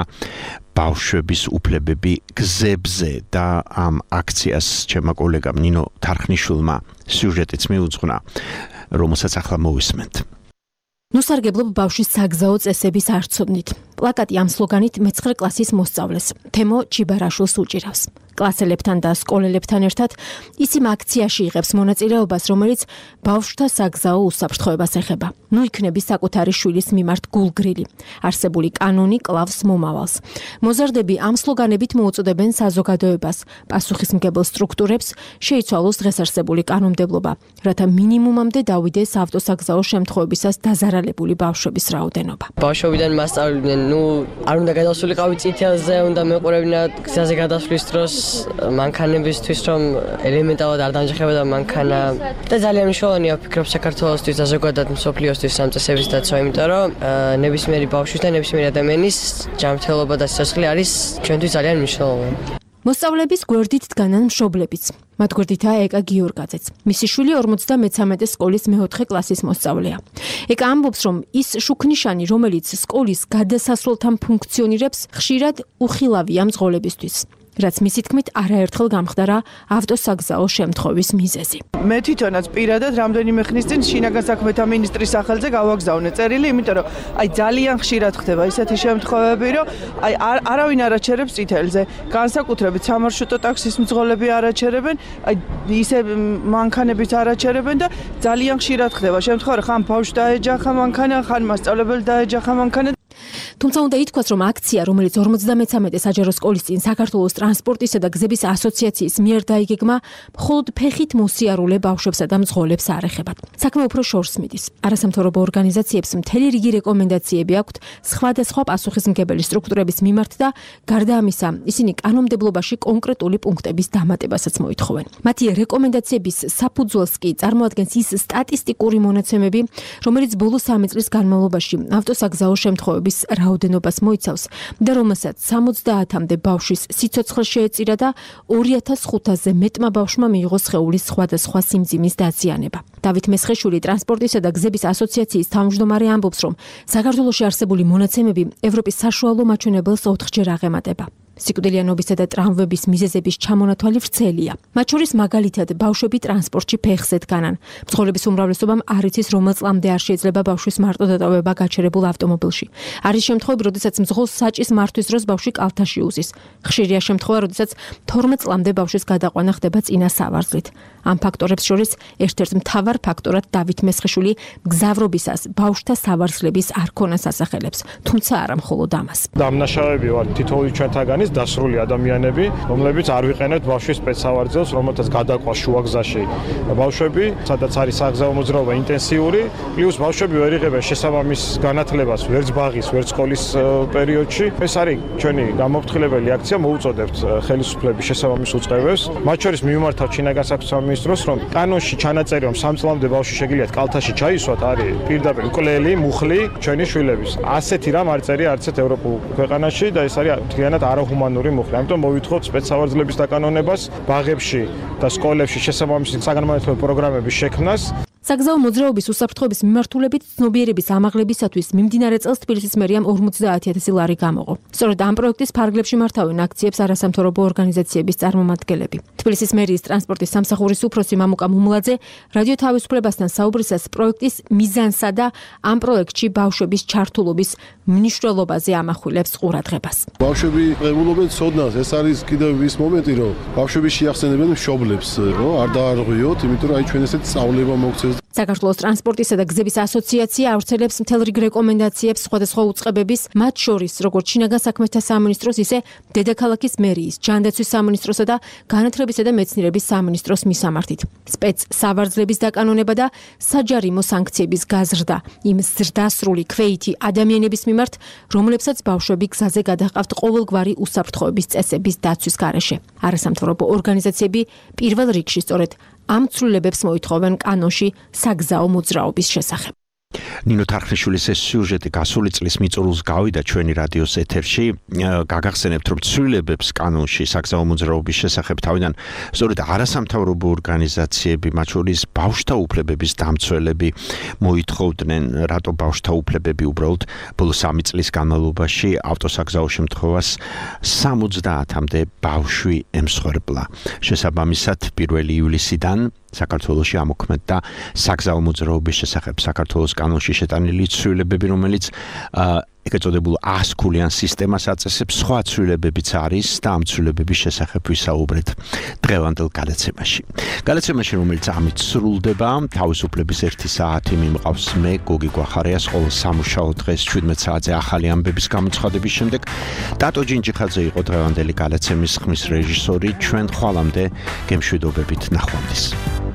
ბავშვების უფლებები გზებზე და ამ აქციას ჩემმა კოლეგამ ნინო თარხნიშვილმა სიუჟეტიც მიუძღვნა, რომელსაც ახლა მოვისმენთ. ნუსარგებლობ ბავშვის საგზაო წესების არცოდნით. პლაკატი ამ სლოგანით მე-9 კლასის მოსწავლეს თემო ჩიბარაშვილს უჭირავს. კლასელებთან და სკოლელებთან ერთად ის იმ აქციაში იღებს მონაწილეობას, რომელიც ბავშვთა საგზაო უსაფრთხოებას ეხება. ნუ იქნები საკუთარი შვილის მიმართ გულგრილი. არსებული კანონი კლავს მომავალს. მოზარდები ამ სლოგანებით მოუწოდებენ საზოგადოებას, პასუხისმგებელ სტრუქტურებს შეიცვალოს დღეს არსებული კანონმდებლობა, რათა მინიმუმამდე დავიდეს ავტოსაგზაო შემთხვევებისას დაზარალებული ბავშვების რაოდენობა. ბავშვობიდან მასწავლებდნენ, არ უნდა გადასულიყავი წითელზე, უნდა მეყურებინა გზაზე გადასვლის დროს მანქანებისთვის, რომ ელემენტარულად არ დამჯახებოდა მანქანა და ძალიან მნიშვნელოვანია ვფიქრობ საქართველოსთვის და ზოგადად მსოფლიოსთვის ამ წესების დაცვა, იმიტომ რომ ნებისმიერი ბავშვის და ნებისმიერი ადამიანის ჯანმრთელობა და სიცოცხლე არის ჩვენთვის ძალიან მნიშვნელოვანი. მოსწავლეების გვერდით დგანან მშობლებიც. მათ გვერდითაა ეკა გიორგაძეც. მისი შვილი 53 სკოლის მე-4 კლასის მოსწავლეა. ეკა ამბობს, რომ ის შუქნიშანი, რომელიც სკოლის გადასასვლელთან ფუნქციონირებს, ხშირად უხილავია მძღოლებისთვის. რაც მისი თქმით არაერთხელ გამხდარა ავტოსაგზაო შემთხვევის მიზეზი. მე თვითონაც პირადად რამდენიმე ხნის წინ შინაგან საქმეთა მინისტრის სახელზე გავაგზავნე წერილი, იმიტომ რომ ძალიან ხშირად ხდება ისეთი შემთხვევები, რომ არავინ არ აჩერებს წითელზე. განსაკუთრებით სამარშრუტო ტაქსის მძღოლები არ აჩერებენ, ისე მანქანებიც არ აჩერებენ და ძალიან ხშირად ხდება შემთხვევა, ხან ბავშვს დაეჯახა მანქანა, ხან მასწავლებელი დაეჯახა მანქანა. თუმცა უნდა ითქვას, რომ აქცია, რომელიც 53 საჯარო სკოლის წინ საქართველოს ტრანსპორტისა და გზების ასოციაციის მიერ დაიგეგმა, მხოლოდ ფეხით მოსიარულე ბავშვებსა და მძღოლებს არ ეხებათ. საქმე უფრო შორს მიდის. არასამთავრობო ორგანიზაციებს მთელი რიგი რეკომენდაციები აქვთ სხვადასხვა პასუხისმგებელი სტრუქტურების მიმართ და გარდა ამისა, ისინი კანონმდებლობაში კონკრეტული პუნქტების დამატებასაც მოითხოვენ. მათი რეკომენდაციების საფუძველს კი წარმოადგენს ის სტატისტიკური მონაცემები, რომელიც ბოლო 3 წლის განმავლობაში ავტოსაგზაო შემთხვევების რაოდენობას მოიცავს და რომელსაც 70-მდე ბავშვის სიცოცხლე შეეწირა და 2500-ზე მეტმა ბავშვმა მიიღო სხეულის სხვადასხვა სიმძიმის დაზიანება. დავით მესხეშვილი ტრანსპორტისა და გზების ასოციაციის თავმჯდომარე ამბობს, რომ საქართველოში არსებული მონაცემები ევროპის საშუალო მაჩვენებელს 4-ჯერ აღემატება. სიკვდილიანობისა და ტრამვების მიზეზების ჩამონათვალი ვრცელია. მათ შორის მაგალითად ბავშვები ტრანსპორტში ფეხზე დგანან. მძღოლების უმრავლესობამ არ იცის, რომელ წლამდე არ შეიძლება ბავშვის მარტო დატოვება გაჩერებულ ავტომობილში. არის შემთხვევები, როდესაც მძღოლს საჭის მართვის დროს ბავშვი კალთაში უზის. ხშირია შემთხვევა, როდესაც 12 წლამდე ბავშვის გადაყვანა ხდება წინა სავარძლით. ამ ფაქტორებს შორის ერთ-ერთ მთავარ ფაქტორად დავით მესხეშვილი მგზავრობისას ბავშვთა სავარძლების არ ქონას ასახელებს, თუმცა არა მხოლოდ ამას. დამნაშავეები ვარ თითოეული ჩვენთაგანი დასრული ადამიანები, რომლებიც არ ვიყენებთ ბავშვის სპეცსავარძელს, რომელთაც გადაყვა შუაგზაში ბავშვები, სადაც არის საგზაო მოძრაობა ინტენსიური, პლუს ბავშვები ვერ იღებენ შესაბამის განათლებას ვერც ბაღის, ვერც სკოლის პერიოდში. ეს არის ჩვენი გამოფრთხილებელი აქცია, მოუწოდებთ ხელისუფლების შესაბამის უწყებებს. მათ შორის მიმართავთ შინაგან საქმეთა მინისტროს, რომ კანონში ჩანაწერი, რომ 3 წლამდე ბავშვი შეგიძლიათ კალთაში ჩაისვათ, არის პირდაპირ მკვლელი, მუხლი ჩვენი შვილების. ასეთი რამ არ წერია არც ერთ ევროპულ ქვეყანაში და ეს არის მთლიანად არაჰუმანური მუხლი. ამიტომ მოვითხოვთ სპეცსავარძლების დაკანონებას, ბაღებში და სკოლებში შესაბამისი საგანმანათლებლო პროგრამების შექმნას. საგზაო მოძრაობის უსაფრთხოების მიმართულებით ცნობიერების ამაღლებისათვის მიმდინარე წელს თბილისის მერიამ 50000 ლარი გამოყო. სწორედ ამ პროექტის ფარგლებში მართავენ აქციებს არასამთავრობო ორგანიზაციების წარმომადგენლები. თბილისის მერიის ტრანსპორტის სამსახურის უფროსი მამუკა მუმლაძე რადიო თავისუფლებასთან საუბრისას პროექტის მიზანსა და ამ პროექტში ბავშვების ჩართულობის მნიშვნელობაზე ამახვილებს ყურადღებას. ბავშვები ყებულობენ ცოდნას, ეს არის კიდევ ის მომენტი, რომ ბავშვები შეახსენებენ მშობლებს, რომ არ დაარღვიოთ, იმიტომ რომ აი ჩვენ ესეთ სწავლება მოგცეს. საქართველოს ტრანსპორტისა და გზების ასოციაცია ავრცელებს მთელ რიგ რეკომენდაციებს სხვადასხვა უწყებების, მათ შორის როგორც შინაგან საქმეთა სამინისტროს, ისე დედაქალაქის მერიის, ჯანდაცვის სამინისტროსა და განათლებისა და მეცნიერების სამინისტროს მისამართით. სპეცსავარძლების დაკანონება და საჯარიმო სანქციების გაზრდა იმ ზრდასრული ქვეითი ადამიანების მიმართ, რომლებსაც ბავშვები გზაზე გადაჰყავთ ყოველგვარი უსაფრთხოების წესების დაცვის გარეშე. არასამთავრობო ორგანიზაციები პირველ რიგში სწორედ ამ ცვლილებებს მოითხოვენ კანონში საგზაო მოძრაობის შესახებ. ნინო თარხნიშვილის ეს სიუჟეტი გასული წლის მიწურულს გავიდა ჩვენი რადიოს ეთერში. გაგახსენებთ, რომ ცვლილებებს კანონში საგზაო მოძრაობის შესახებ თავიდან სწორედ არასამთავრობო ორგანიზაციები, მათ შორის ბავშვთა უფლებების დამცველები მოითხოვდნენ, რატო ბავშვთა უფლებები უბრალოდ ბოლო 3 წლის განმავლობაში ავტოსაგზაო შემთხვევას 70-მდე ბავშვი ემსხვერპლა. შესაბამისად 1 ივლისიდან საქართველოში ამოქმედდა საგზაო მოძრაობის შესახებ საქართველოს კანონში შეტანილი ცვლილებები, რომელიც ეგრეთ წოდებულ 100 ქულიან სისტემას აწესებს. სხვა ცვლილებებიც არის და ამ ცვლილებების შესახებ ვისაუბრეთ დღევანდელ გადაცემაში. გადაცემაში, რომელიც ამით სრულდება, თავისუფლების 1 საათი მიმყავს მე გოგი გვახარიას ყოველ სამუშაო დღეს 17 საათზე ახალი ამბების გამოცხადების შემდეგ. დატო ჯინჯიხაძე იყო დღევანდელი გადაცემის ხმის რეჟისორი. ჩვენ ხვალამდე გემშვიდობებით ნახვამდის.